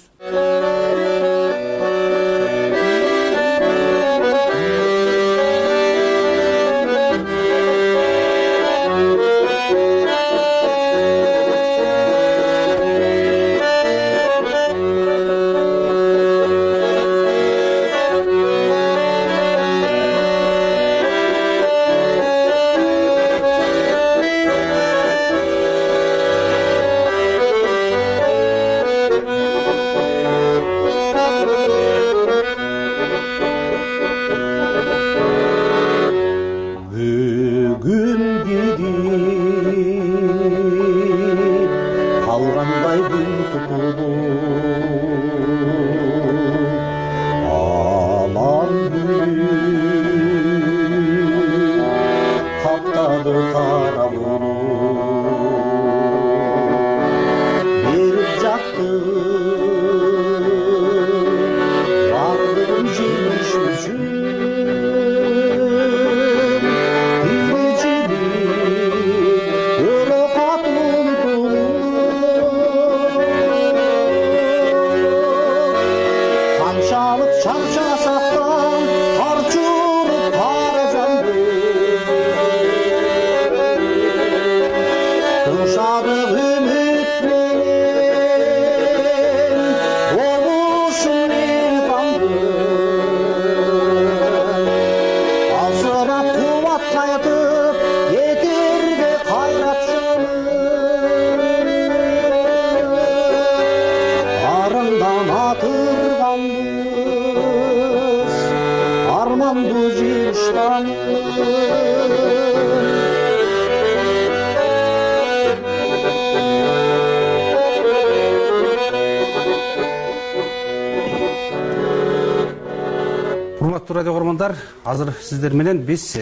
Speaker 10: Урматтуу радио көрөрмандар, азыр сиздер менен биз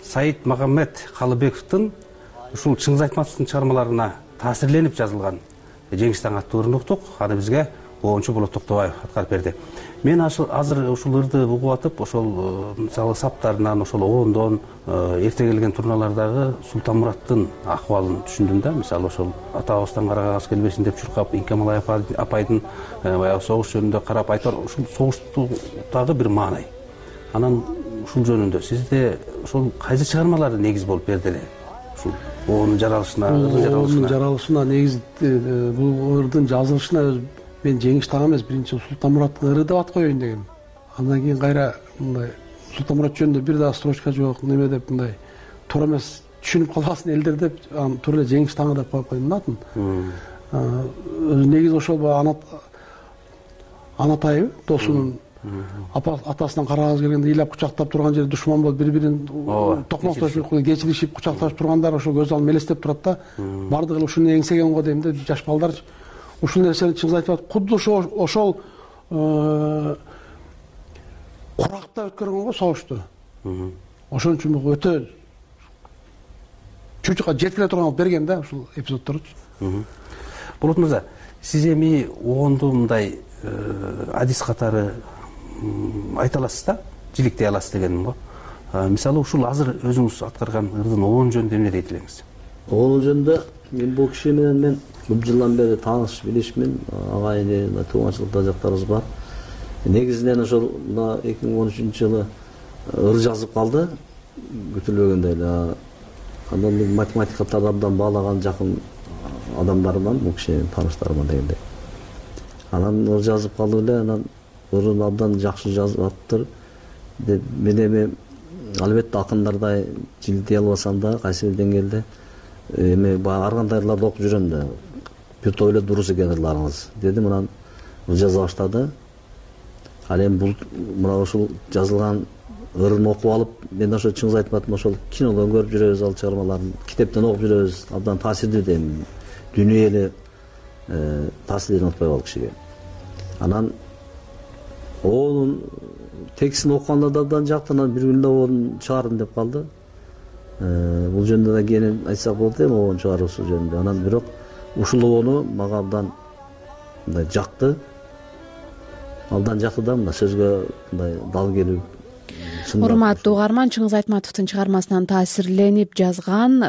Speaker 10: Саид Магомед Калыбековдун ушул Чыңгыз Айтматовдун чыгармаларына таасирленип жазылган Жеңиш таң аттуу ырын уктук. Аны бизге обончу Болот Токтобаев аткарып берди. Мен азыр ушул ырды угуп атып, ошол мисалы саптарынан, ошол обондон эрте келген турналардагы Султанмураттын акыбалын түшүндүм да. Мисалы ошол атабыздан карагагас келбесин деп чуркап, Инкемалай апайдын баягы согуш жөнүндө карап айтар, ушул согуштагы бир маанай. Анан ушул жөнүндө сизде ошол кайсы чыгармалар негиз болуп берди эле? Ушул обондун жаралышына, ырдын жаралышына.
Speaker 11: Жаралышына негиз бул ырдын жазылышына мен Жеңиш таң эмес, биринчи Султанмураттын ыры деп ат коеюн дегем. Андан кийин кайра мындай Султанмурат жөнүндө бир да строчка жок, неме деп мындай туура эмес түшүнүп калбасын элдер деп, аны туура эле Жеңиш таңы деп коюп койдум атын. Негизи ошол анатайы досунун атасынан карагыбыз келгенде ыйлап кучактап турган жерде душман болуп бири-бирин токмоктошуп, кечиришип, кучакташып тургандар ошол көз алдымда элестеп турат да. Бардыгы ушуну эңсеген го дейм да, жаш балдарчы. Ушул нерсени Чыңгыз айтып атат, кудду ошол куракта өткөргөн го согушту. Ошон үчүн бул өтө чучукка жеткире турган берген да ушул эпизоддорчу.
Speaker 10: Болот мырза, сиз эми обонду мындай адис катары айта аласыз да, жиликтей аласыз дегеним го. Мисалы ушул азыр өзүңүз аткарган ырдын обон жөнүндө эмне дейт элеңиз?
Speaker 12: Обон жөнүндө мен бул киши менен мен көп жылдан бери тааныш билишмин, агайын тууганчылыкта жактарыбыз бар. Негизинен ошол мына эки миң он үчүнчү жылы ыр жазып калды, күтүлбөгөндөй эле. Андан мен математикадан абдан баалаган жакын адамдарыман, бул кишинин тааныштарыман дегендей. Анан ыр жазып калды эле, анан ырын абдан жакшы жазып аттыр деп мен эми албетте акындардай жилдей албасам да, кайсы бир деңгээлде эми баягы ар кандай ырларды окуп жүрөм да. Бир топ эле дурус экен ырларыңыз дедим, анан ыр жаза баштады. Ал эми бул мына ушул жазылган ырын окуп алып, мен ошо Чыңгыз Айтматовдун ошол кинодон көрүп жүрөбүз, ал чыгармаларын китептен окуп жүрөбүз, абдан таасирдүү дейм. Дүнүйө эле таасирин унутпай ал кишиге. Анан онун текстин окуганда да абдан жакты, анан бир күндө онун чыгардым деп калды. Бул жөнүндө да кийин айтсак болот эми обон чыгаруусу жөнүндө. Анан бирок ушул обону мага абдан мындай жакты. Абдан жакты да, мына сөзгө мындай дал келип
Speaker 1: урматтуу угарман, Чыңгыз Айтматовдун чыгармасынан таасирленип жазган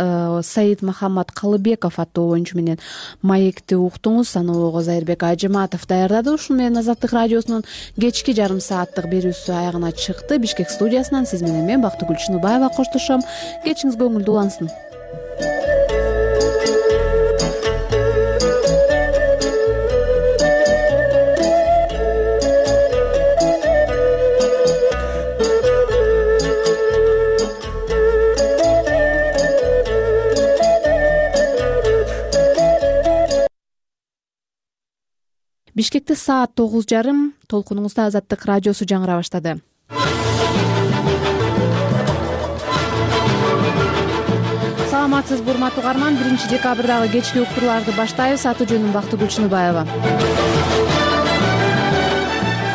Speaker 1: Саид Махаммад Калыбеков аттуу оюнчу менен маекти уктуңуз. Аны Огоз Айырбек Ажыматов даярдады. Ушун менен Азаттык радиосунун кечки жарым сааттык берүүсү аягына чыкты. Бишкек студиясынан сиз менен мен Бактыгүл Чыныбаева коштошом. Кечиңиз көңүлдүү улансын. Бишкекте саат тогуз жарым. Толкунуңузда Азаттык радиосу жаңыра баштады. Саламатсызбы урматтуу угарман, биринчи декабрдагы кечки уктурууларды баштайбыз. Аты жөнүм Бактыгүл Чыныбаева.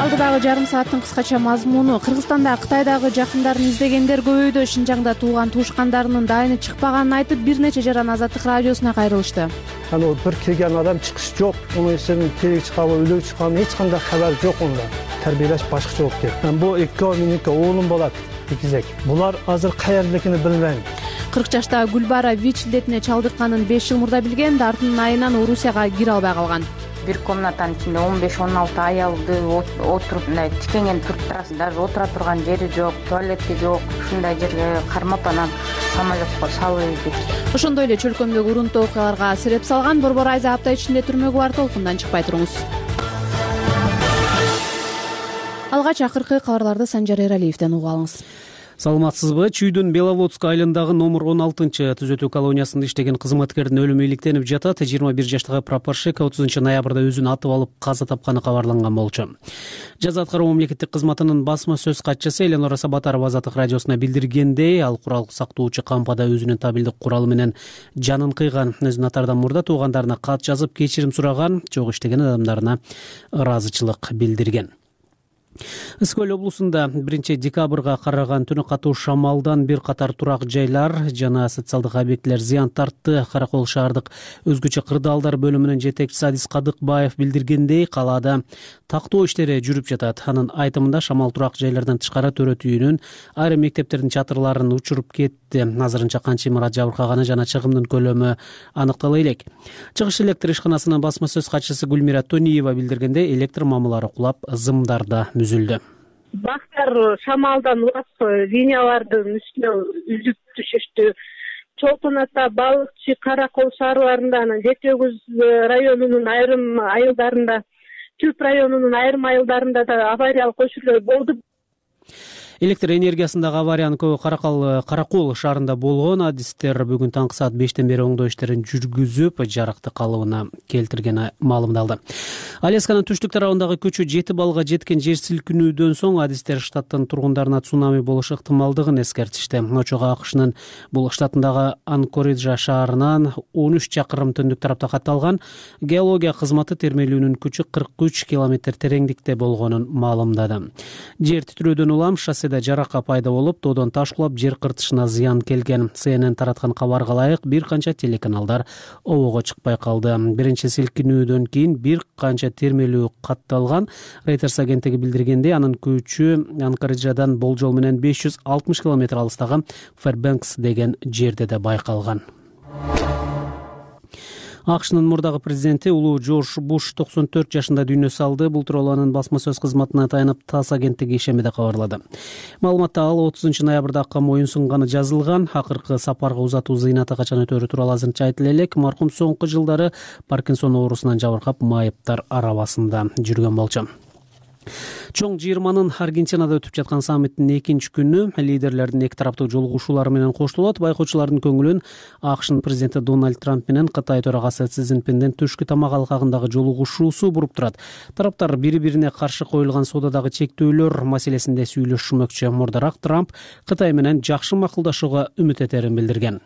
Speaker 1: Алдыдагы жарым сааттын кыскача мазмуну: Кыргызстанда Кытайдагы жакындарын издегендер көбөйдү. Шинжаңда тууган туушкандарынын дайыны чыкпаганын айтып, бир нече жаран Азаттык радиосуна кайрылышты.
Speaker 13: Анан бир келген адам чыгыш жок, муну сенин тирик чыкабы, өлүп чыккан эч кандай кабар жок онда. Тарбиялаш башкача болуп кетти. Бул эки меники уулум болот, экизек. Булар азыр каердекини билбейм.
Speaker 1: кырк жаштагы Гүлбара ВИЧ илдетине чалдыкканын беш жыл мурда билген, Дартынын айынан Орусияга кире албай калган.
Speaker 14: Бир комнатанын ичинде он беш он алты аялды отуруп мындай тикенген туруп турасың, даже отура турган жери жок, туалети жок. Ушундай жерге кармап анан самолетко салып кетти.
Speaker 1: Ошондой эле чөлкөмдөгү урунтуу окуяларга себеп салган Борбор Айза апта ичинде түрмөгө бар. Толкундан чыкпай туруңуз. Алгач акыркы кабарларды Санжар Эралиевден угуп алыңыз.
Speaker 4: Саламатсызбы? Чүйдүн Беловодск айылындагы номер он алтынчы түзөтүү колониясында иштеген кызматкердин өлүмү иликтенип жатат. жыйырма бир жаштагы прапорщик отузунчу ноябрда өзүн атып алып каза тапканы кабарланган болчу. Жаза аткаруу мамлекеттик кызматынын басма сөз катчысы Эленора Сабатарова Азаттык радиосуна билдиргендей, ал курал сактоочу кампада өзүнүн табилдик куралы менен жанын кыйган. Өзүн атаардан мурда туугандарына кат жазып кечирим сураган, жок иштеген адамдарына ыраазычылык билдирген. Ысык-Көл облусунда биринчи декабрга караган түнү катуу шамалдан бир катар турак жайлар жана социалдык объектилер зыян тартты. Каракол шаардык өзгөчө кырдаалдар бөлүмүнүн жетекчиси Адис Кадыкбаев билдиргендей, калаада тактоо иштери жүрүп жатат. Анын айтымында шамал турак жайлардан тышкары төрөт үйүнүн, айрым мектептердин чатырларын учуруп кетти. Азырынча канча имарат жабыркаганы жана чыгымдын көлөмү аныктала элек. Чыгыш электр ишканасынын басма сөз катчысы Гүлмира Тониева билдиргендей, электр мамылары кулап, зымдарда мүзүлдү.
Speaker 15: Бактар шамалдан улап линиялардын үстүнө үзүп түшүштү. Чолпон ата, Балыкчы, Каракол шаарларында, анан Жети Өгүз районунун айрым айылдарында, Түп районунун айрым айылдарында да авариялык көчүрлөр болду.
Speaker 4: Электр энергиясындагы авариянын көбү Каракол Каракол шаарында болгон. Адистер бүгүн таңкы саат бештен бери оңдоо иштерин жүргүзүп, жарыкты калыбына келтиргени маалымдалды. Алясканын түштүк тарабындагы көчө жети баллга жеткен жер силкинүүдөн соң адистер штаттын тургундарына цунами болушу ыктымалдыгын эскертишти. Очого АКШнын бул штатындагы Анкориджа шаарынан он үч чакырым түндүк тарапта катталган. Геология кызматы термелүүнүн күчү кырк үч километр тереңдикте болгонун маалымдады. Жер титирөөдөн улам шосседе жарака пайда болуп, тоодон таш кулап жер кыртышына зыян келген. Си Эн Эн тараткан кабарга ылайык бир канча телеканалдар обого чыкпай калды. Биринчи силкинүүдөн кийин бир канча термелүү катталган. Reuters агенттиги билдиргендей, анын күчү Анкориджадан болжол менен беш жүз алтымыш километр алыстагы Фэрбэнкс деген жерде да байкалган. АКШнын мурдагы президенти улуу Джордж Буш токсон төрт жашында дүйнө салды. Бул тууралуу анын басма сөз кызматына таянып ТАСС агенттиги ишемеде кабарлады. Маалыматта ал отузунчу ноябрда камоюн сунганы жазылган. Акыркы сапарга узатуу зыйнаты качан өтөөрү тууралуу азырынча айтыла элек. Маркум соңку жылдары Паркинсон оорусунан жабыркап, майыптар арабасында жүргөн болчу. Чоң жыйырманын Аргентинада өтүп жаткан саммиттин экинчи күнү лидерлердин эки тараптуу жолугушуулары менен коштолот. Байкоочулардын көңүлүн АКШнын президенти Дональд Трамп менен Кытай төрагасы Си Цзиньпиндин түшкү тамак алкагындагы жолугушуусу буруп турат. Тараптар бири-бирине каршы коюлган соодадагы чектөөлөр маселесинде сүйлөшмөкчү. Мурдараак Трамп Кытай менен жакшы макулдашууга үмүт этерин билдирген.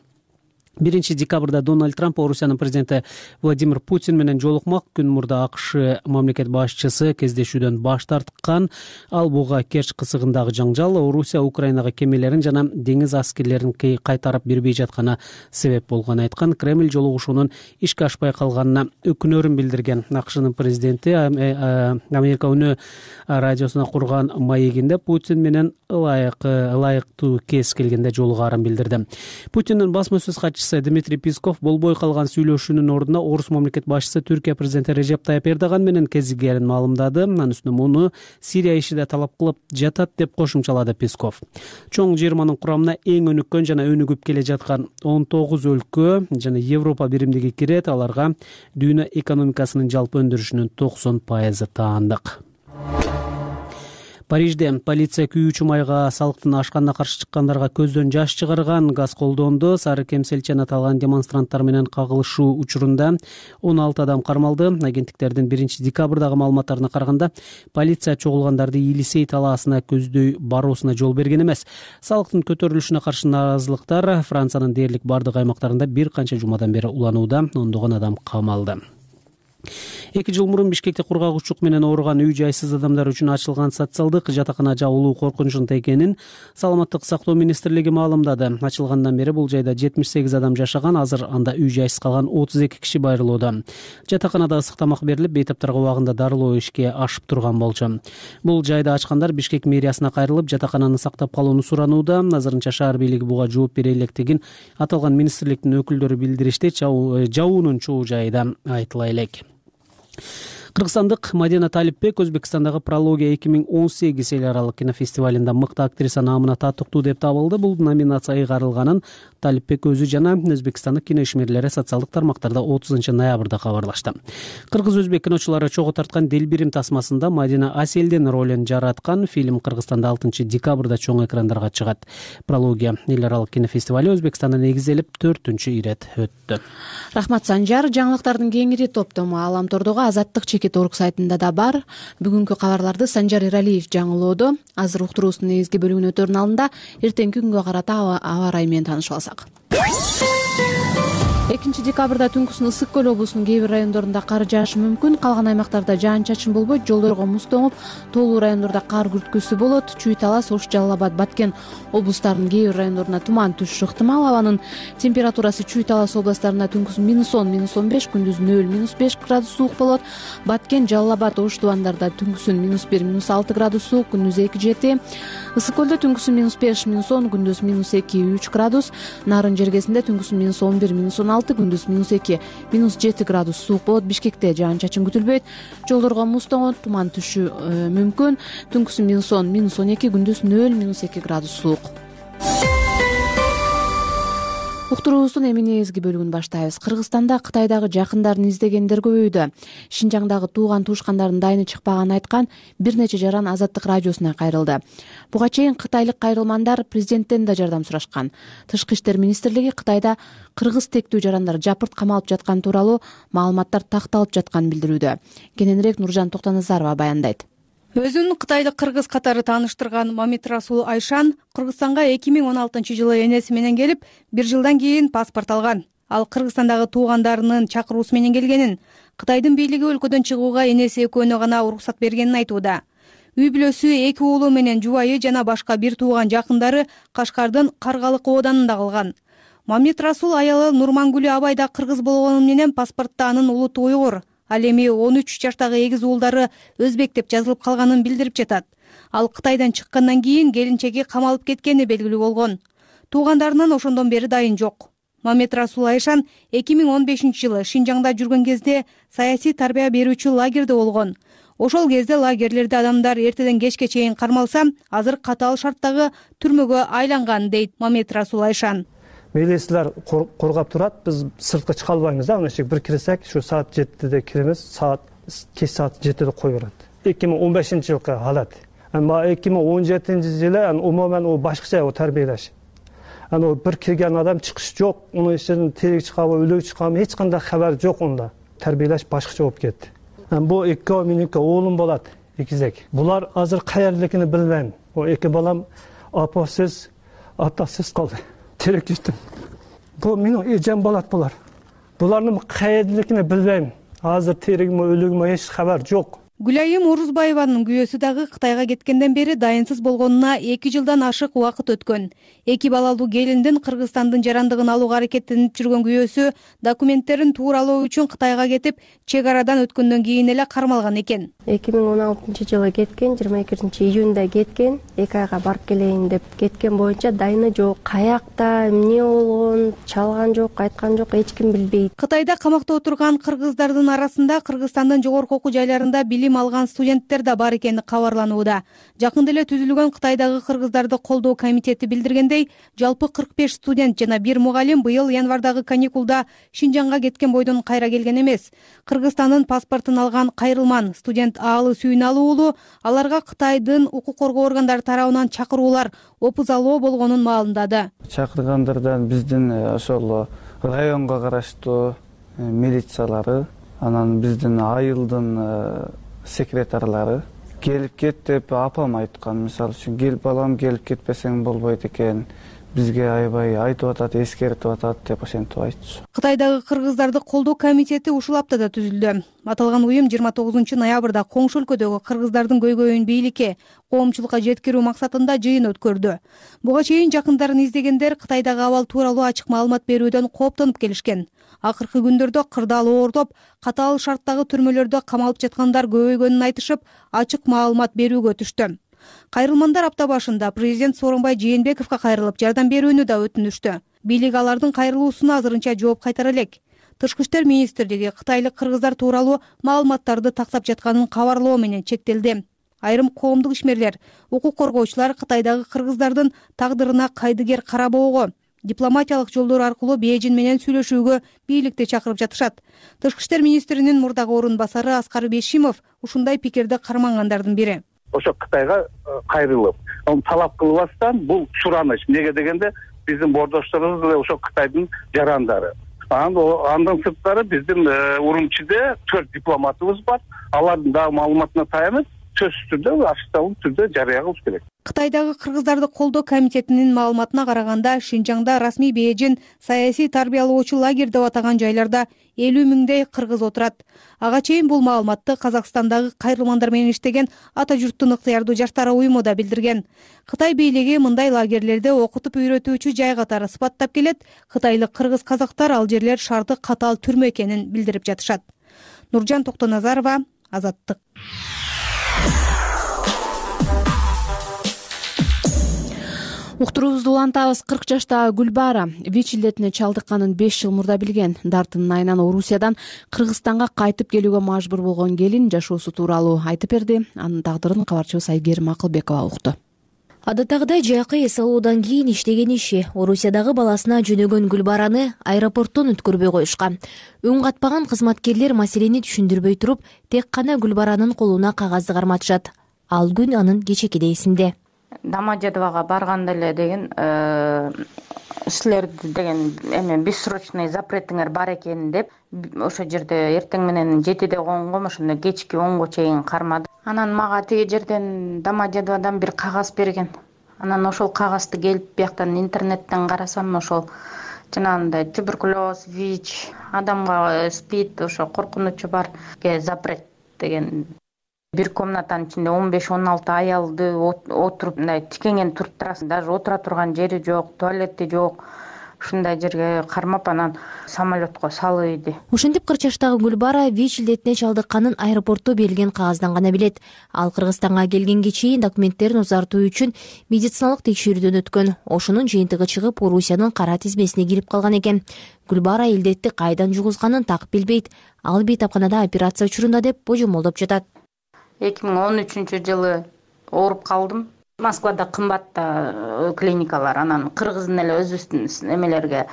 Speaker 4: биринчи декабрда Дональд Трамп Орусиянын президенти Владимир Путин менен жолукмак. Күн мурда АКШ мамлекет башчысы кездешүүдөн баш тарткан. Ал буга Керчь кысыгындагы жаңжал Орусия Украинага кемелерин жана деңиз аскерлерин кайтарып бербей жатканы себеп болгонун айткан. Кремль жолугушуунун ишке ашпай калганына өкүнөрүн билдирген. АКШнын президенти Америка үнү радиосуна курган маегинде Путин менен ылайык ылайыктуу кез келгенде жолугаарын билдирди. Путиндин басма сөз катчысы Дмитрий Песков болбой калган сүйлөшүүнүн ордуна Орус мамлекет башчысы Түркия президенти Режеп Тайып Эрдоган менен кезигерин маалымдады. Анын үстүнө муну Сирия иши да талап кылып жатат деп кошумчалады Песков. Чоң жыйырманын курамына эң өнүккөн жана өнүгүп келе жаткан он тогуз өлкө жана Европа биримдиги кирет. Аларга дүйнө экономикасынын жалпы өндүрүшүнүн токсон пайызы таандык. Парижде полиция күйүүчү майга салыктын ашканына каршы чыккандарга көздөн жаш чыгарган, газ колдонду. Сары кемселчен аталган демонстранттар менен кагылышуу учурунда он алты адам кармалды. Агенттиктердин биринчи декабрдагы маалыматтарына караганда, полиция чогулгандарды Елисей талаасына көздөй баруусуна жол берген эмес. Салыктын көтөрүлүшүнө каршы наразылыктар Франциянын дээрлик бардык аймактарында бир канча жумадан бери уланууда. Ондогон адам камалды. Эки жыл мурун Бишкекте кургагучулук менен ооруган үй жайсыз адамдар үчүн ачылган социалдык жатакана жабылуу коркунучунда экенин Саламаттык сактоо министрлиги маалымдады. Ачылгандан бери бул жайда жетимиш сегиз адам жашаган, азыр анда үй жайсыз калган отуз эки киши байрылууда. Жатаканада ысык тамак берилип, бейтаптарга убагында дарылоо ишке ашып турган болчу. Бул жайды ачкандар Бишкек мэриясына кайрылып, жатакананы сактап калууну суранууда. Азырынча шаар бийлиги буга жооп бере электигин аталган министрликтин өкүлдөрү билдиришти. Жабуунун чоо жайы да айтыла элек. Кыргызстандык Мадина Талипбек Өзбекстандагы Прология эки миң он сегиз эл аралык кинофестивалында мыкты актриса наамына татыктуу деп табылды. Бул номинация ыйгарылганын Талипбек өзү жана Өзбекстандык кино ишмерлери социалдык тармактарда отузунчу ноябрда кабарлашты. Кыргыз-өзбек киночулары чогуу тарткан Делбирим тасмасында Мадина Аселдин ролун жараткан. Фильм Кыргызстанда алтынчы декабрда чоң экрандарга чыгат. Прология эл аралык кинофестивали Өзбекстанда негизделип төртүнчү ирет өттү.
Speaker 1: Рахмат Санжар. Жаңылыктардын кеңири топтому Аламтордогу Азаттык чекит орг сайтында да бар. Бүгүнкү кабарларды Санжар Иралиев жаңылоодо. Азыр уктуруубуздун негизги бөлүгүнө өтөрүнүн алдында эртеңки күнгө карата аба ырайы менен таанышып алсак. экинчи декабрда түнкүсүн Ысык көл облусунун кээ бир райондорунда кар жаашы мүмкүн. Калган аймактарда жаан-чачын болбойт, жолдорго муз тоңуп, тоолуу райондордо кар күрткүсү болот. Чүй Талас, Ош, Жалал Абад, Баткен облустарынын кээ бир райондоруна туман түшүшү ыктымал. Абанын температурасы Чүй Талас областарында түнкүсүн минус он, минус он беш, күндүз нөл, минус беш градус суук болот. Баткен, Жалал Абад, Ош тубандарда түнкүсүн минус бир, минус алты градус суук, күндүз эки, жети. Ысык көлдө түнкүсүн минус беш, минус он, күндүз минус эки, үч градус. Нарын жергесинде түнкүсүн минус он бир, минус он алты, күндүз минус эки, минус жети градус суук болот. Бишкекте жаан-чачын күтүлбөйт. Жолдорго муз тоңот, туман түшү мүмкүн. Түнкүсүн минус он, минус он эки, күндүз нөл, минус эки градус суук. Уктуруубуздун эми негизги бөлүгүн баштайбыз. Кыргызстанда Кытайдагы жакындарын издегендер көбөйдү. Шинжаңдагы тууган туушкандардын дайыны чыкпаганын айткан бир нече жаран Азаттык радиосуна кайрылды. Буга чейин кытайлык кайрылмандар президенттен да жардам сурашкан. Тышкы иштер министрлиги Кытайда кыргыз тектүү жарандар жапырт камалып жатканы тууралуу маалыматтар такталып жатканын билдирүүдө. Кененирээк Нуржан Токтоназарова баяндайт.
Speaker 16: Өзүн кытайлык кыргыз катары тааныштырган Мамит Расул Айшан Кыргызстанга эки миң он алтынчы жылы энеси менен келип, бир жылдан кийин паспорт алган. Ал Кыргызстандагы туугандарынын чакыруусу менен келгенин, Кытайдын бийлиги өлкөдөн чыгууга энеси экөөнө гана уруксат бергенин айтууда. Үй бүлөсү эки уулу менен жубайы жана башка бир тууган жакындары Кашкардын Каргалык ооданында калган. Мамит Расул аялы Нурмангүлү абай да кыргыз болгону менен паспортто анын улуту уйгур. Ал эми он үч жаштагы эгиз уулдары өзбек деп жазылып калганын билдирип жатат. Ал Кытайдан чыккандан кийин келинчеги камалып кеткени белгилүү болгон. Туугандарынан ошондон бери дайын жок. Мамит Расул Айшан эки миң он бешинчи жылы Шинжаңда жүргөн кезде саясий тарбия берүүчү лагерде болгон. Ошол кезде лагерлерде адамдар эртеден кечке чейин кармалса, азыр катаал шарттагы түрмөгө айланган, дейт Мамит Расул Айшан.
Speaker 13: Милициялар коргап турат, биз сыртка чыга албайбыз да, ошо бир кирсек, ушу саат жетиде киремиз, саат кеч саат жетиде кой берет. эки миң он бешинчи жылкы халат. Эми эки миң он жетинчи жылы умуман о башкача о тарбиялаш. Аны бир кирген адам чыгыш жок, унун ичинен тирик чыгабы, өлүк чыгабы эч кандай хабар жок унда. Тарбиялаш башкача болуп кетти. Бу эки меники уулум болот, экизек. Булар азыр каердикини билбейм. О эки балам апасыз, атасыз калды. Терек жүттүм. бул менин эжем болот булар. Булардын каердиликини билбейм. Азыр тиригими өлүгүмө эч кабар жок.
Speaker 16: Гүлайым Орузбаеванын күйөөсү дагы Кытайга кеткенден бери дайынсыз болгонуна эки жылдан ашык убакыт өткөн. Эки балалуу келиндин Кыргызстандын жарандыгын алууга аракеттенип жүргөн күйөөсү документтерин тууралоо үчүн Кытайга кетип, чек арадан өткөндөн кийин эле кармалган экен.
Speaker 17: эки миң он алтынчы жылы кеткен, жыйырма экинчи июнда кеткен, эки айга барып келейин деп кеткен боюнча дайыны жок. Каякта эмне болгон, чалган жок, айткан жок, эч ким билбейт.
Speaker 16: Кытайда камакта отурган кыргыздардын арасында Кыргызстандын жогорку окуу жайларында билим алган студенттер да бар экени кабарланууда. Жакында эле түзүлгөн Кытайдагы кыргыздарды колдоо комитети билдиргендей, жалпы кырк беш студент жана бир мугалим быйыл январдагы каникулда Шинжаңга кеткен бойдон кайра келген эмес. Кыргызстандын паспортун алган Кайрылман студент Аалы Сүйүналуу уулу аларга Кытайдын укук коргоо органдары тарабынан чакыруулар опузалоо болгонун маалымдады.
Speaker 18: Чакыргандардан биздин ошол районго караштуу милициялары, анан биздин айылдын секретарлары келип кет деп апам айткан. Мисалы үчүн кел балам, келип кетпесең болбойт экен, бизге аябай айтып атат, эскертип атат деп ошентип айтчу.
Speaker 16: Кытайдагы кыргыздарды колдоо комитети ушул аптада түзүлдү. Аталган уюм жыйырма тогузунчу ноябрда коңшу өлкөдөгү кыргыздардын көйгөйүн бийликке, коомчулукка жеткирүү максатында жыйын өткөрдү. Буга чейин жакындарын издегендер Кытайдагы абал тууралуу ачык маалымат берүүдөн кооптонуп келишкен. Акыркы күндөрдө кырдаал оордоп, катаал шарттагы түрмөлөрдө камалып жаткандар көбөйгөнүн айтышып, ачык маалымат берүүгө өтүштү. Кайрылмандар апта башында президент Сооронбай Жээнбековго кайрылып жардам берүүнү да өтүнүштү. Бийлик алардын кайрылуусуна азырынча жооп кайтара элек. Тышкы иштер министрлиги кытайлык кыргыздар тууралуу маалыматтарды тактап жатканын кабарлоо менен чектелди. Айрым коомдук ишмерлер, укук коргоочулар Кытайдагы кыргыздардын тагдырына кайдыгер карабоого, дипломатиялык жолдор аркылуу Бээжин менен сүйлөшүүгө бийликти чакырып жатышат. Тышкы иштер министринин мурдагы орун басары Аскар Бешимов ушундай пикирди кармангандардын бири.
Speaker 19: Ошо Кытайга кайрылып, талап кылбастан бул сураныч. Неге дегенде биздин бордошторубуз деле ошо Кытайдын жарандары. Андан сырткары биздин Урумчиде төрт дипломатыбыз бар. Алардын дагы маалыматына таянып, сөзсүз түрдө, ачыкталуу түрдө жарыя кылыш керек.
Speaker 16: Кытайдагы кыргыздарды колдоо комитетинин маалыматына караганда, Шинжаңда расмий Бээжин саясий тарбиялоочу лагерь деп атаган жайларда элүү миңдей кыргыз отурат. Ага чейин бул маалыматты Казакстандагы кайрылмандар менен иштеген Ата журттун ыктыярдуу жаштар уюму да билдирген. Кытай бийлиги мындай лагерлерде окутуп үйрөтүүчү жай катары сыпаттап келет. Кытайлык кыргыз казактар ал жерлер шарты катаал түрмө экенин билдирип жатышат. Нуржан Токтоназарова, Азаттык.
Speaker 1: Уктуруубузду улантабыз. кырк жаштагы Гүлбара ВИЧ илдетине чалдыкканын беш жыл мурда билген. Дартынын айынан Орусиядан Кыргызстанга кайтып келүүгө мажбур болгон келин жашоосу тууралуу айтып берди. Анын тагдырын кабарчыбыз Айгерим Акылбекова укту.
Speaker 2: Адаттагыдай жакы эс алуудан кийин иштеген иши Орусиядагы баласына жөнөгөн Гүлбараны аэропорттон өткөрбөй коюшкан. Үн катпаган кызматкерлер маселени түшүндүрбөй туруп, тек гана Гүлбаранын колуна кагазды карматышат. Ал күн анын кечекиде эсинде.
Speaker 14: Домодедового барганда эле деген силерди деген эме бессрочный запретиңер бар экен деп ошо жерде эртең менен жетиде конгом, ошондо кечки онго чейин кармады. Анан мага тиги жерден Домодедоводон бир кагаз берген. Анан ошол кагазды келип бияктан интернеттен карасам, ошол жанагындай туберкулез, ВИЧ, адамга СПИД, ошо коркунучу бар запрет деген. Бир комнатанын ичинде он беш он алты аялды отуруп, мындай тикенген туруп турасың, даже отура турган жери жок, туалети жок. Ушундай жерге кармап анан самолетко салып.
Speaker 2: Ушинтип кырк жаштагы Гүлбара ВИЧ илдетине чалдыкканын аэропортто берилген кагаздан гана билет. Ал Кыргызстанга келгенге чейин документтерин узартуу үчүн медициналык текшерүүдөн өткөн. Ошонун жыйынтыгы чыгып, Орусиянын кара тизмесине кирип калган экен. Гүлбара илдетти кайдан жугузганын так билбейт. Ал бейтапканада операция учурунда деп божомолдоп жатат.
Speaker 14: эки миң он үчүнчү жылы ооруп калдым. Москвада кымбатта клиникалар, анан кыргыздын эле өзүбүздүн эмелерге,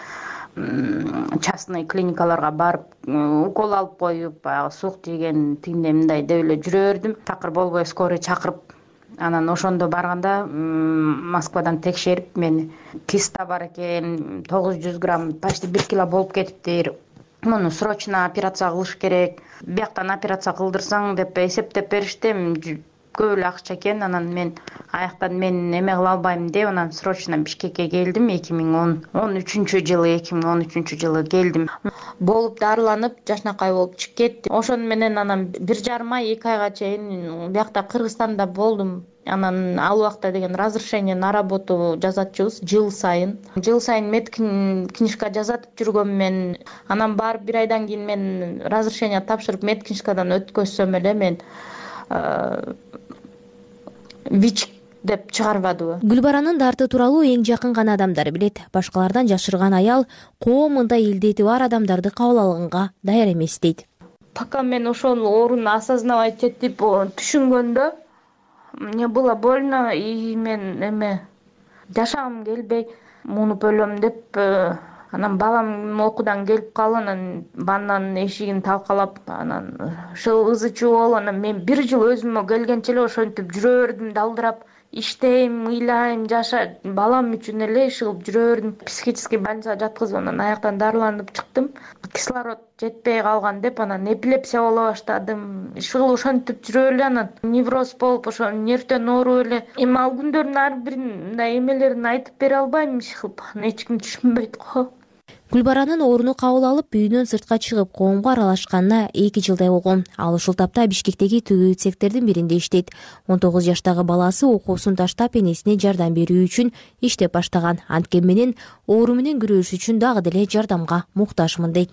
Speaker 14: частный клиникаларга барып, укол алып коюп, баягы сук жеген тигиндей мындай деп эле жүрө бердим. Такыр болбой скорый чакырып, анан ошондо барганда Москвадан текшерип, мени киста бар экен, тогуз жүз грамм, почти бир кило болуп кетиптир. Муну срочно операция кылыш керек. Бияктан операция кылдырсаң деп эсептеп беришти. көп эле акча экен. Анан мен аяктан мен эме кыла албайм деп анан срочно Бишкекке келдим. эки миң он үчүнчү жылы эки миң он үчүнчү жылы келдим. Болуп дарыланып жашнакай болуп чыгып кеттим. Ошону менен анан бир жарым ай эки айга чейин биякта Кыргызстанда болдум. Анан ал убакта деген разрешение на работу жазатчыбыз жыл сайын. Жыл сайын медкнижка жазатып жүргөм мен. Анан барып бир айдан кийин мен разрешение тапшырып медкнижкадан өткөзсөм эле мен ВИЧ деп чыгарбадыбы.
Speaker 2: Гүлбаранын дарты тууралуу эң жакын гана адамдар билет. Башкалардан жашырган аял коомунда илдети бар адамдарды кабыл алганга даяр эмес дейт.
Speaker 14: Пока мен ошол ооруну осознавать этип түшүнгөндө мне было больно и мен эме жашагым келбей муунуп өлөм деп анан балам окуудан келип калып анан ваннанын эшигин талкалап анан ушул ызы чуу болуп анан мен бир жыл өзүмө келгенче эле ошентип жүрө бердим далдырап иштейм, ыйлайм, жаша балам үчүн эле иш кылып жүрө бердим. Психический больницага жаткызып анан аяктан дарыланып чыктым. Кислород жетпей калган деп анан эпилепсия боло баштадым. Иш кылып ошентип жүрө эле анан невроз болуп ошо нервден ооруп эле. Эми ал күндөрдүн ар бирин мындай эмелерин айтып бере албайм иш кылып. Эч ким түшүнбөйт го.
Speaker 2: Гүлбаранын ооруну кабыл алып үйүнөн сыртка чыгып коомго аралашканына эки жылдай болгон. Ал ушул тапта Бишкектеги тигүү цехтердин биринде иштейт. он тогуз жаштагы баласы окуусун таштап энесине жардам берүү үчүн иштеп баштаган. Анткени менен оору менен күрөшүш үчүн дагы деле жардамга муктажмын дейт.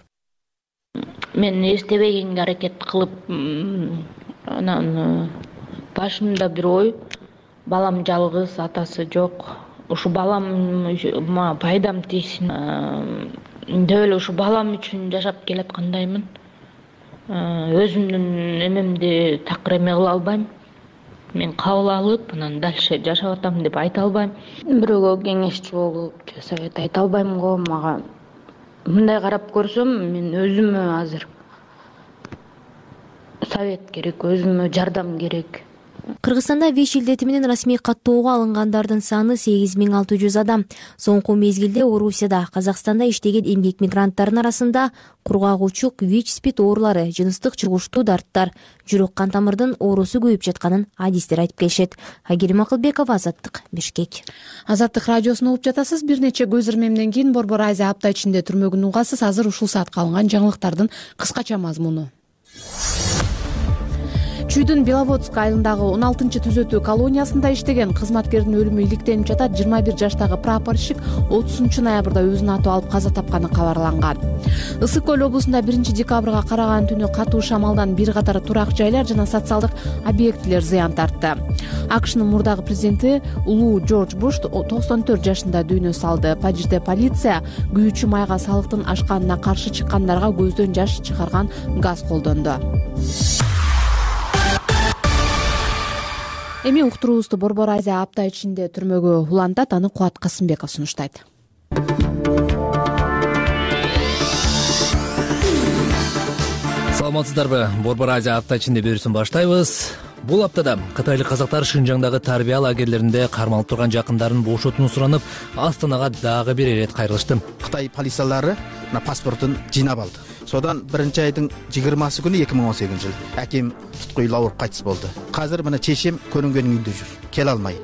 Speaker 14: Мен эстебегенге аракет кылып, анан башымда бир ой, балам жалгыз, атасы жок. Ушу баламга пайдам тийсин деп эле ушу балам үчүн жашап келаткандаймын. Өзүмдүн эмемди такыр эме кыла албайм. Мен кабыл алып, анан дальше жашап атам деп айта албайм. Бирөөгө кеңешчи болуп, же совет айта албайм го. Мага мындай карап көрсөм, мен өзүмө азыр совет керек, өзүмө жардам керек.
Speaker 2: Кыргызстанда ВИЧ илдети менен расмий каттоого алынгандардын саны сегиз миң алты жүз адам. Соңку мезгилде Орусияда, Казакстанда иштеген эмгек мигранттарынын арасында кургак-учук, ВИЧ, СПИД оорулары, жыныстык чыгуштуу дарттар, жүрөк кан тамырдын оорусу көбөйүп жатканын адистер айтып келишет. Агирим Акылбекова, Азаттык, Бишкек.
Speaker 1: Азаттык радиосун угуп жатасыз. Бир нече көз ирмемден кийин Борбор Азия апта ичинде түрмөгүн угасыз. Азыр ушул саатка алынган жаңылыктардын кыскача мазмуну. Чүйдүн Беловодск айылындагы он алтынчы түзөтүү колониясында иштеген кызматкердин өлүмү иликтенип жатат. жыйырма бир жаштагы прапорщик отузунчу ноябрда өзүнүн аты алып каза тапканы кабарланган. Ысык көл облусунда биринчи декабрга караган түнү катуу шамалдан бир катар турак жайлар жана социалдык объектилер зыян тартты. АКШнын мурдагы президенти Улуу Джордж Буш токсон төрт жашында дүйнө салды. Парижде полиция күйүүчү майга салыктын ашканына каршы чыккандарга көздөн жаш чыгарган газ колдонду. Эми уктуруубузду Борбор Азия апта ичинде түрмөгө улантат. Аны Кубат Касымбеков сунуштайт.
Speaker 20: Саламатсыздарбы? Борбор Азия апта ичинде берүүсүн баштайбыз. Бул аптада кытайлык казактар Шынжаңдагы тарбия лагерлеринде кармалып турган жакындарын бошотууну суранып, Астанага дагы бир ирет кайрылышты.
Speaker 21: Кытай полициялары паспортун жыйнап алды. Содан биринчи айдын жыйырмасы күнү эки миң он сегизинчи жыл аким туткуйлуу ооруп кайтыс болду. Азыр мына чечем көрүнгөнүн үйүндө жүр. Келе алмай.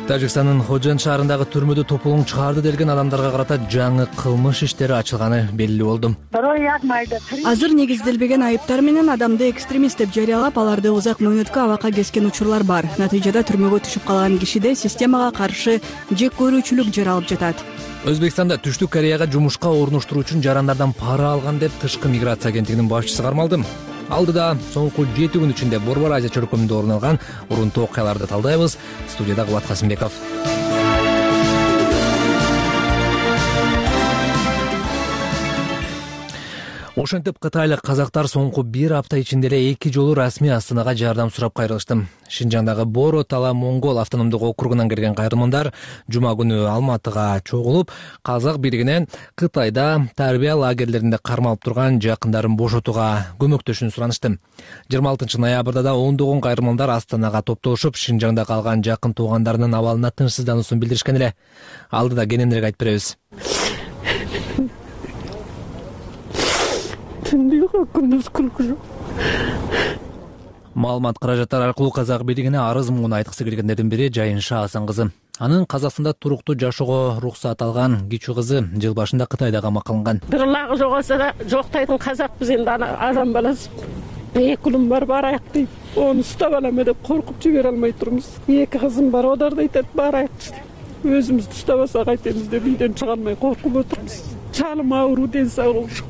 Speaker 20: Тажикстандын Ходжан шаарындагы түрмөдө тополоң чыгарды делген адамдарга карата жаңы кылмыш иштери ачылганы белгилүү болду.
Speaker 22: Азыр негизделбеген айыптар менен адамды экстремист деп жарыялап, аларды узак мөөнөткө абакка кескен учурлар бар. Натыйжада түрмөгө түшүп калган кишиде системага каршы жек көрүүчүлүк жаралып жатат.
Speaker 20: Өзбекстанда Түштүк Кореяга жумушка орноштуруу үчүн жарандардан пара алган деп тышкы миграция агенттигинин башчысы кармалды. Алдыда соңку жети күн ичинде Борбор Азия чөлкөмүндө орун алган урунтуу окуяларды талдайбыз. Студияда Кубат Касымбеков. Ошентип кытайлык казактар соңку бир апта ичинде эле эки жолу расмий Астанага жардам сурап кайрылышты. Шынжаңдагы Боро Тала Монгол автономдук округунан келген кайрылмандар жума күнү Алматыга чогулуп, казак бийлигинен Кытайда тарбия лагерлеринде кармалып турган жакындарын бошотууга көмөктөшүүнү суранышты. жыйырма алтынчы ноябрда да ондогон кайрылмандар Астанага топтошуп, Шынжаңда калган жакын туугандарынын абалына тынчсыздануусун билдиришкен эле. Алдыда кененирээк айтып беребиз. Маалымат каражаттары аркылуу казак бийлигине арыз муун айткысы келгендердин бири Жайынша Асан кызы. Анын Казакстанда туруктуу жашоого уруксат алган кичүү кызы жыл башында Кытайда камакка алынган.
Speaker 3: Бир лагы жоголса да жоктойдун казакпыз энди адам баласы. Эки улум бар барайык дейт. Onu ұстап аламы деп коркуп жибере алмай турмуз. Эки кызым бар, олар да айтат барайыкчы деп. Өзүбүздү уштабасак кайтебиз деп үйдөн чыга алмай коркуп отурмуз. Чалым ауруу, ден соолугу жок.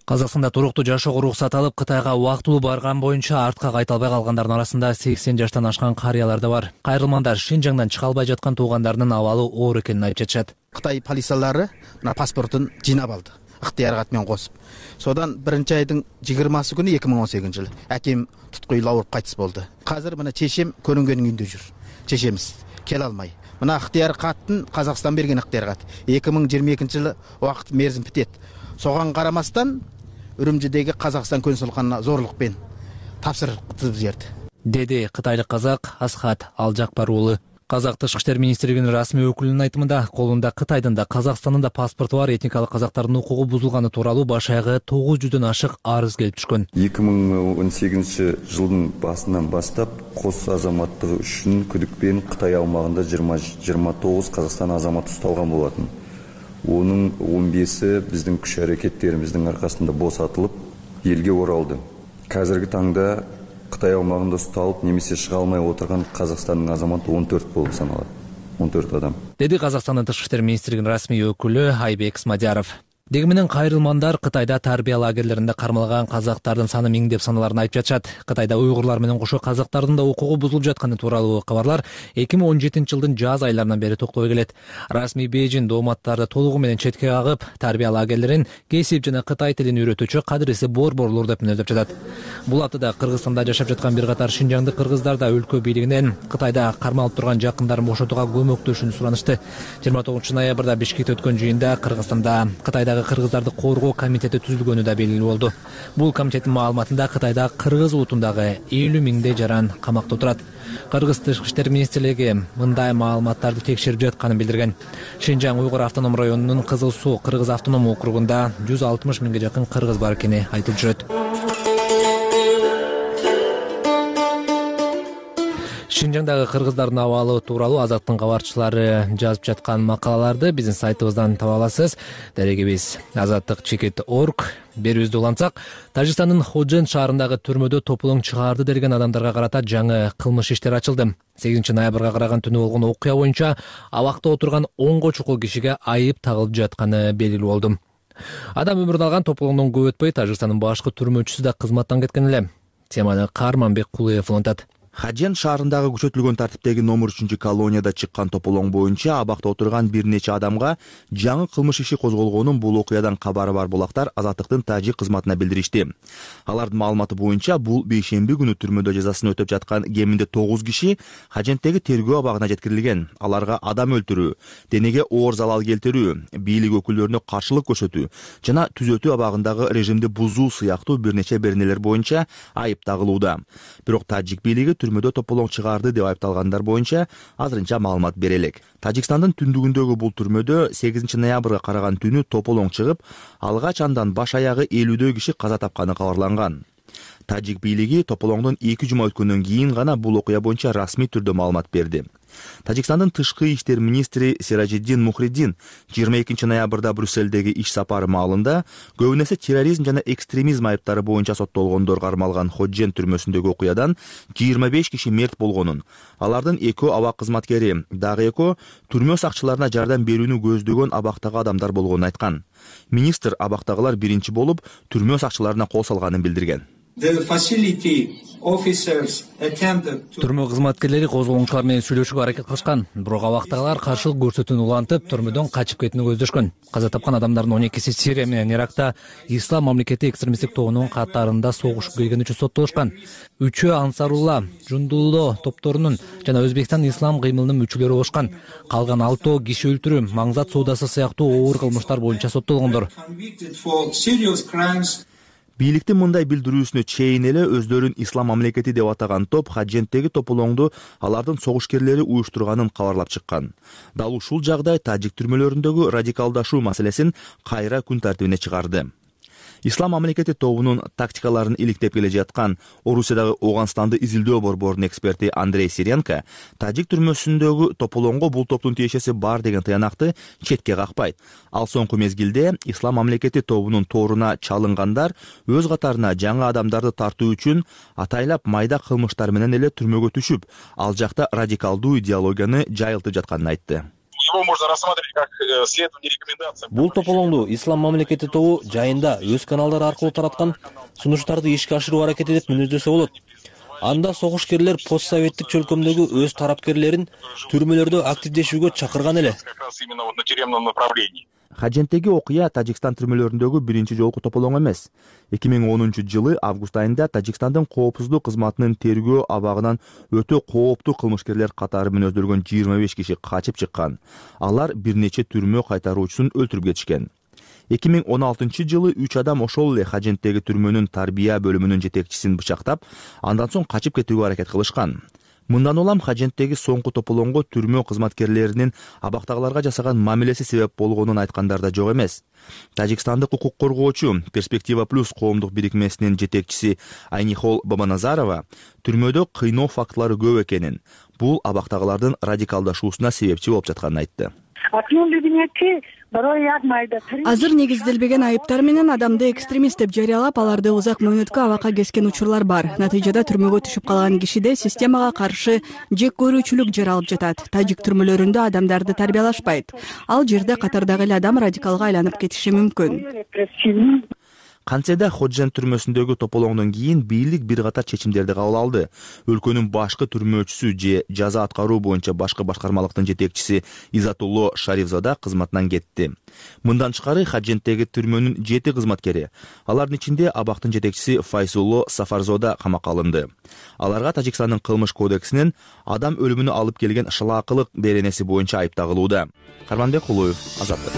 Speaker 20: Казакстанда туруктуу жашоого уруксат алып Кытайга убактылуу барган боюнча артка кайта албай калгандардын арасында сексен жаштан ашкан карыялар да бар. Кайрылмандар Шинжаңдан чыга албай жаткан туугандарынын абалы оор экенин айтып жатышат.
Speaker 21: Кытай полициялары мына паспортун жыйнап алды. Ыктыяр кат менен косуп. Содан биринчи айдын жыйырмасы күнү эки миң он сегизинчи жылы аким туткуйлуу ауырып кайтыс болду. Азыр мына чечем көрүнгөнүн үйүндө жүр. Чечемиз келе алмай. Мына ыктыяр каттын Казакстан берген ыктыяр кат. эки миң жыйырма экинчи жылы убакыт мерзим битет. Соган карамастан Үрүмчүдөгү Казакстан консулдугуна зорлукпен тапшырып жиберди.
Speaker 20: Деди кытайлык казак Асхат Алжакпар уулу. Казак Тышкы иштер министрлигинин расмий өкүлүнүн айтымында, колунда Кытайдын да Казакстандын да паспорту бар этникалык казактардын укугу бузулганы тууралуу баш аягы тогуз жүздөн ашык арыз келип түшкөн.
Speaker 6: эки миң он сегизинчи жылдын башынан баштап кос азаматтыгы үчүн күдүкпен Кытай аумагында жыйырма тогуз Казакстан азаматы ушталган болотун. Onun он беси биздин күч аракеттерибиздин аркасында босатылып, элге оралды. Қазіргі таңда Кытай аумагында ушталып, немесе чыга алмай отурган Казакстандын азаматы он төрт болуп саналат. он төрт адам.
Speaker 20: Деди Казакстандын Тышкы иштер министрлигинин расмий өкүлү Айбек Смадяров. Дегенмен кайрылмандар Кытайда тарбия лагерлеринде кармалган казактардын саны миң деп саналарын айтып жатышат. Кытайда уйгурлар менен кошо казактардын да укугу бузулуп жатканы тууралуу кабарлар эки миң он жетинчи жылдын жаз айларынан бери токтобой келет. Расмий Бейжин дооматтарды толугу менен четке кагып, тарбия лагерлерин кесип жана Кытай тилин үйрөтүүчү кадыреси борборлор деп мүнөздөп жатат. Бул аптада Кыргызстанда жашап жаткан бир катар шинжаңдык кыргыздар да өлкө бийлигинен Кытайда кармалып турган жакындарын бошотууга көмөктөшүүнү суранышты. жыйырма тогузунчу ноябрда Бишкекте өткөн жыйында Кыргызстанда Кытайдагы кыргыздарды коргоо комитети түзүлгөнү да белгилүү болду. Бул комитеттин маалыматында Кытайда кыргыз улутундагы элүү миңдей жаран камакта отурат. Кыргыз Тышкы иштер министрлиги мындай маалыматтарды текшерип жатканын билдирген. Шинжаң Уйгур автоном районунун Кызыл Суу кыргыз автоном округунда жүз алтымыш миңге жакын кыргыз бар экени айтылып жүрөт. Шинжаңдагы кыргыздардын абалы тууралуу Азаттын кабарчылары жазып жаткан макалаларды биздин сайтыбыздан таба аласыз. Дарегибиз азаттык чекит точка орг. Берүүбүздү улантсак, Тажикстандын Ходжен шаарындагы түрмөдө тополоң чыгарды делген адамдарга карата жаңы кылмыш иштер ачылды. сегизинчи ноябрга караган түнү болгон окуя боюнча абакта отурган онго чукул кишиге айып тагылып жатканы белгилүү болду. Адам өмүрүн алган тополоңдон көп өтпөй Тажикстандын башкы түрмөчүсү да кызматтан кеткен эле. Теманы Карманбек Кулуев улантат.
Speaker 23: Хаджен шаарындагы күчөтүлгөн тартиптеги номер үчүнчү колонияда чыккан тополоң боюнча абакта отурган бир нече адамга жаңы кылмыш иши козголгонун бул окуядан кабары бар булактар Азаттыктын тажик кызматына билдиришти. Алардын маалыматы боюнча бул бейшемби күнү түрмөдө жазасын өтөп жаткан кеминде тогуз киши Хадженттеги тергөө абагына жеткирилген. Аларга адам өлтүрүү, денеге оор залал келтирүү, бийлик өкүлдөрүнө каршылык көрсөтүү жана түзөтүү абагындагы режимди бузуу сыяктуу бир нече беренелер боюнча айып тагылууда. Бирок тажик бийлиги түрмөдө тополоң чыгарды деп айыпталгандар боюнча азырынча маалымат бере элек. Тажикстандын түндүгүндөгү бул түрмөдө сегизинчи ноябрга караган түнү тополоң чыгып, алгач андан баш аягы элүүдөй киши каза тапканы кабарланган. Тажик бийлиги тополоңдон эки жума өткөндөн кийин гана бул окуя боюнча расмий түрдө маалымат берди. Тажикстандын тышкы иштер министри Сиражиддин Мухриддин жыйырма экинчи ноябрда Брюссельдеги иш сапары маалында көбүн эсе терроризм жана экстремизм айыптары боюнча соттолгондор кармалган Ходжен түрмөсүндөгү окуядан жыйырма беш киши мерт болгонун, алардын экөө абак кызматкери, дагы экөө түрмө сакчыларына жардам берүүнү көздөгөн абактагы адамдар болгонун айткан. Министр абактагылар биринчи болуп түрмө сакчыларына кол салганын билдирген.
Speaker 20: Түрмө кызматкерлери козголоңчулар менен сүйлөшүүгө аракет кылышкан, бирок абактагылар каршылык көрсөтүүнү улантып, түрмөдөн качып кетүүнү көздөшкөн. Каза тапкан адамдардын он экиси Сирия менен Иракта Ислам мамлекети экстремисттик тобунун катарында согушуп келгени үчүн соттолушкан. Үчөө Ансарулла, Жундулло топторунун жана Өзбекстан ислам кыймылынын мүчөлөрү болушкан. Калган алтоо киши өлтүрүү, маңзат соодасы сыяктуу оор кылмыштар боюнча соттолгондор.
Speaker 23: Бийликтин мындай билдирүүсүнө чейин эле өздөрүн ислам мамлекети деп атаган топ Хадженттеги тополоңду алардын согушкерлери уюштурганын кабарлап чыккан. Дал ушул жагдай тажик түрмөлөрүндөгү радикалдашуу маселесин кайра күн тартибине чыгарды. Ислам мамлекети тобунун тактикаларын иликтеп келе жаткан Орусиядагы Ооганстанды изилдөө борборунун эксперти Андрей Сиренко тажик түрмөсүндөгү тополоңго бул топтун тиешеси бар деген тыянакты четке какпайт. Ал соңку мезгилде Ислам мамлекети тобунун торуна чалынгандар өз катарына жаңы адамдарды тартуу үчүн атайлап майда кылмыштар менен эле түрмөгө түшүп, ал жакта радикалдуу идеологияны жайылтып жатканын айтты.
Speaker 7: Его можно рассматривать как следование рекомендациям.
Speaker 8: Бул тополоңду Ислам мамлекети тобу жайында өз каналдары аркылуу тараткан сунуштарды ишке ашыруу аракети деп мүнөздөсө болот. Анда согушкерлер постсоветтик чөлкөмдөгү өз тарапкерлерин түрмөлөрдө активдешүүгө чакырган эле.
Speaker 7: Как раз именно вот на тюремном направлении.
Speaker 23: Хаженттеги окуя Тажикстан түрмөлөрүндөгү биринчи жолку тополоң эмес. эки миң онунчу жылы август айында Тажикстандын коопсуздук кызматынын тергөө абагынан өтө кооптуу кылмышкерлер катары менен өздөргөн жыйырма беш киши качып чыккан. Алар бир нече түрмө кайтаруучусун өлтүрүп кетишкен. эки миң он алтынчы жылы үч адам ошол эле Хаженттеги түрмөнүн тарбия бөлүмүнүн жетекчисин бычактап, андан соң качып кетүүгө аракет кылышкан. Мындан улам Хаженттеги соңку тополоңго түрмө кызматкерлеринин абактагыларга жасаган мамилеси себеп болгонун айткандар да жок эмес. Тажикстандык укук коргоочу Перспектива плюс коомдук бирикмесинин жетекчиси Айнихол Бабаназарова түрмөдө кыйноо фактылары көп экенин, бул абактагылардын радикалдашуусуна себепчи болуп жатканын айтты.
Speaker 22: Азыр негизделбеген айыптар менен адамды экстремист деп жарыялап, аларды узак мөөнөткө абакка кескен учурлар бар. Натыйжада түрмөгө түшүп калган кишиде системага каршы жек көрүүчүлүк жаралып жатат. Тажик түрмөлөрүндө адамдарды тарбиялашпайт. Ал жерде катардагы эле адам радикалга айланып кетиши мүмкүн.
Speaker 23: Кантседе Ходжент түрмөсүндөгү тополоңдон кийин бийлик бир катар чечимдерди кабыл алды. Өлкөнүн башкы түрмөөчүсү же жаза аткаруу боюнча башкы башкармалыктын жетекчиси Изатулло Шарифзада кызматынан кетти. Мындан тышкары Ходженттеги түрмөнүн жети кызматкери, алардын ичинде абактын жетекчиси Файсулло Сафарзода камакка алынды. Аларга Тажикстандын кылмыш кодексинин адам өлүмүнө алып келген шылаакылык беренеси боюнча айып тагылууда. Карманбек Кулуев, Азаттык.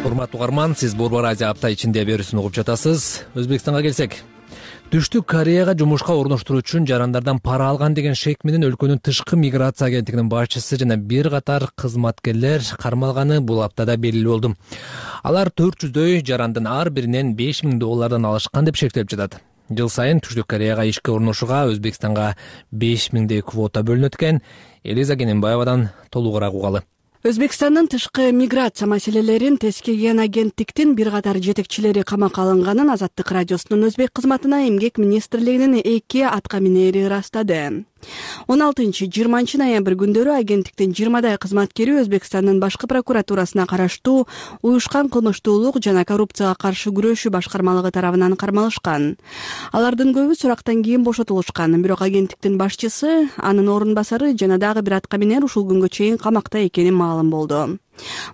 Speaker 20: Урматтуу угарман, сиз Борбор Азия апта ичинде берүүсүн угуп жатасыз. Өзбекстанга келсек, Түштүк Кореяга жумушка орноштуруу үчүн жарандардан пара алган деген шек менен өлкөнүн тышкы миграция агенттигинин башчысы жана бир катар кызматкерлер кармалганы бул аптада белгилүү болду. Алар төрт жүздөй жарандын ар биринен беш миң доллардан алышкан деп шектелип жатат. Жыл сайын Түштүк Кореяга ишке орношууга Өзбекстанга беш миңдей квота бөлүнөт экен. Элиза Кененбаевадан толугураак угалы.
Speaker 22: Өзбекстандын тышкы миграция маселелерин тескейген агенттиктин бир катар жетекчилери камакка алынганын Азаттык радиосунун өзбек кызматына эмгек министрлигинин эки атка минери ырастады. он алтынчы жыйырманчы ноябрь күндөрү агенттиктин жыйырмадай кызматкери Өзбекстандын башкы прокуратурасына караштуу уюшкан кылмыштуулук жана коррупцияга каршы күрөшүү башкармалыгы тарабынан кармалышкан. Алардын көбү сурактан кийин бошотулушкан, бирок агенттиктин башчысы, анын орун басары жана дагы бир атка минер ушул күнгө чейин камакта экени маалым болду.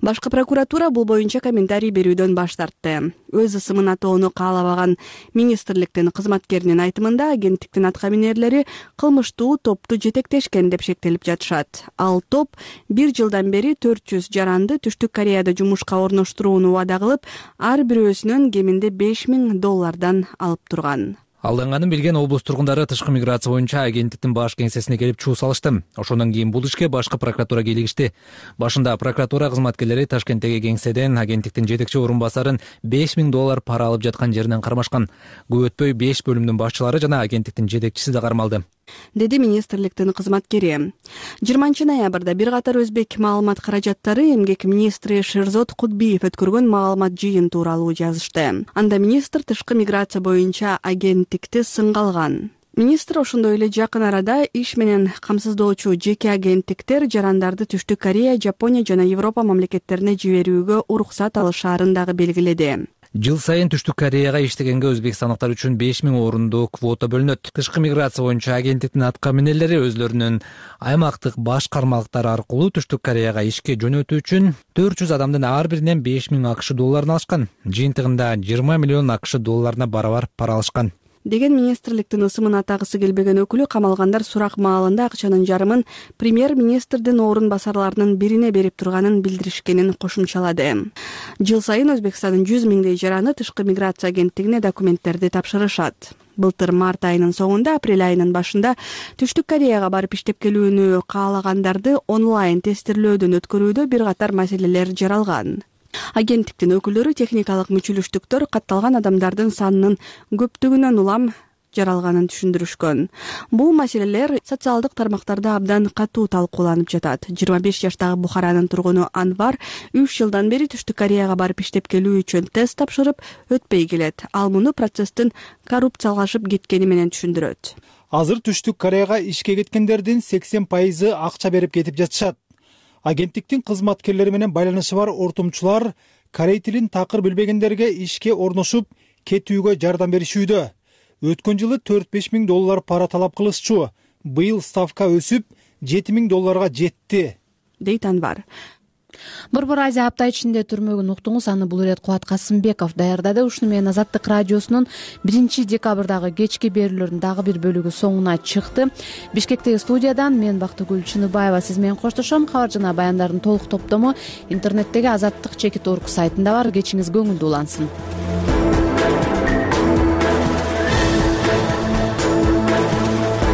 Speaker 22: Башкы прокуратура бул боюнча комментарий берүүдөн баш тартты. Өз ысымын атоону каалабаган министрликтин кызматкеринин айтымында агенттиктин атка минерлери кылмыштуу топту жетектешкен деп шектелип жатышат. Ал топ бир жылдан бери төрт жүз жаранды Түштүк Кореяда жумушка орноштурууну убада кылып, ар бирөөсүнөн кеминде беш миң доллардан алып турган.
Speaker 20: Алданганын билген облус тургундары тышкы миграция боюнча агенттиктин баш кеңсесине келип чуу салышты. Ошондон кийин бул ишке башкы прокуратура кийлигишти. Башында прокуратура кызматкерлери Ташкенттеги кеңседен агенттиктин жетекчи орун басарын беш миң доллар пара алып жаткан жеринен кармашкан. Көп өтпөй беш бөлүмдүн башчылары жана агенттиктин жетекчиси да кармалды,
Speaker 22: деди министрликтин кызматкери. жыйырманчы ноябрда бир катар өзбек маалымат каражаттары эмгек министри Шерзот Кудбиев өткөргөн маалымат жыйын тууралуу жазышты. Анда министр тышкы миграция боюнча агенттикти сынга алган. Министр ошондой эле жакын арада иш менен камсыздоочу жеке агенттиктер жарандарды Түштүк Корея, Жапония жана Европа мамлекеттерине жиберүүгө уруксат алышаарын дагы белгиледи.
Speaker 20: Жыл сайын Түштүк Кореяга иштегенге өзбекстандыктар үчүн беш миң орунду квота бөлүнөт. Тышкы миграция боюнча агенттиктин атка минерлери өзлөрүнүн аймактык башкармалыктары аркылуу Түштүк Кореяга ишке жөнөтүү үчүн төрт жүз адамдын ар биринен беш миң акш долларын алышкан. Жыйынтыгында жыйырма миллион акш долларына барабар пара алышкан.
Speaker 22: деген министрликтин ысымын атагысы келбеген өкүлү камалгандар сурак маалында акчанын жарымын премьер-министрдин орун басарларынын бирине берип турганын билдиришкенин кошумчалады. Жыл сайын Өзбекстандын жүз миңдей жараны тышкы миграция агенттигине документтерди тапшырышат. Былтыр март айынын соңунда, апрель айынын башында Түштүк Кореяга барып иштеп келүүнү каалагандарды онлайн тестирлөөдөн өткөрүүдө бир катар маселелер жаралган. Агенттиктин өкүлдөрү техникалык мүчүлүштүктөр катталган адамдардын санынын көптүгүнөн улам жаралганын түшүндүрүшкөн. Бул маселелер социалдык тармактарда абдан катуу талкууланып жатат. жыйырма беш жаштагы Бухаранын тургуну Анвар үч жылдан бери Түштүк Кореяга барып иштеп келүү үчүн тест тапшырып өтпөй келет. Ал муну процесстин коррупциялашып кеткени менен түшүндүрөт.
Speaker 5: Азыр Түштүк Кореяга ишке кеткендердин сексен пайызы акча берип кетип жатышат. Агенттиктин кызматкерлери менен байланышы бар ортомчулар корей тилин такыр билбегендерге ишке орношуп кетүүгө жардам беришүүдө. Өткөн жылы төрт беш миң доллар пара талап кылышчу. Быйыл ставка өсүп жети миң долларга жетти,
Speaker 22: дейт Анвар.
Speaker 1: Борбор Азия апта ичинде түрмөгүн уктуңуз. Аны бул ирет Кубат Касымбеков даярдады. Ушуну менен Азаттык радиосунун биринчи декабрдагы кечки берүүлөрүнүн дагы бир бөлүгү соңуна чыкты. Бишкектеги студиядан мен Бактыгүл Чыныбаева сиз менен коштошом. Кабар жана баяндардын толук топтому интернеттеги азаттык чекит орг сайтында бар. Кечиңиз көңүлдүү улансын.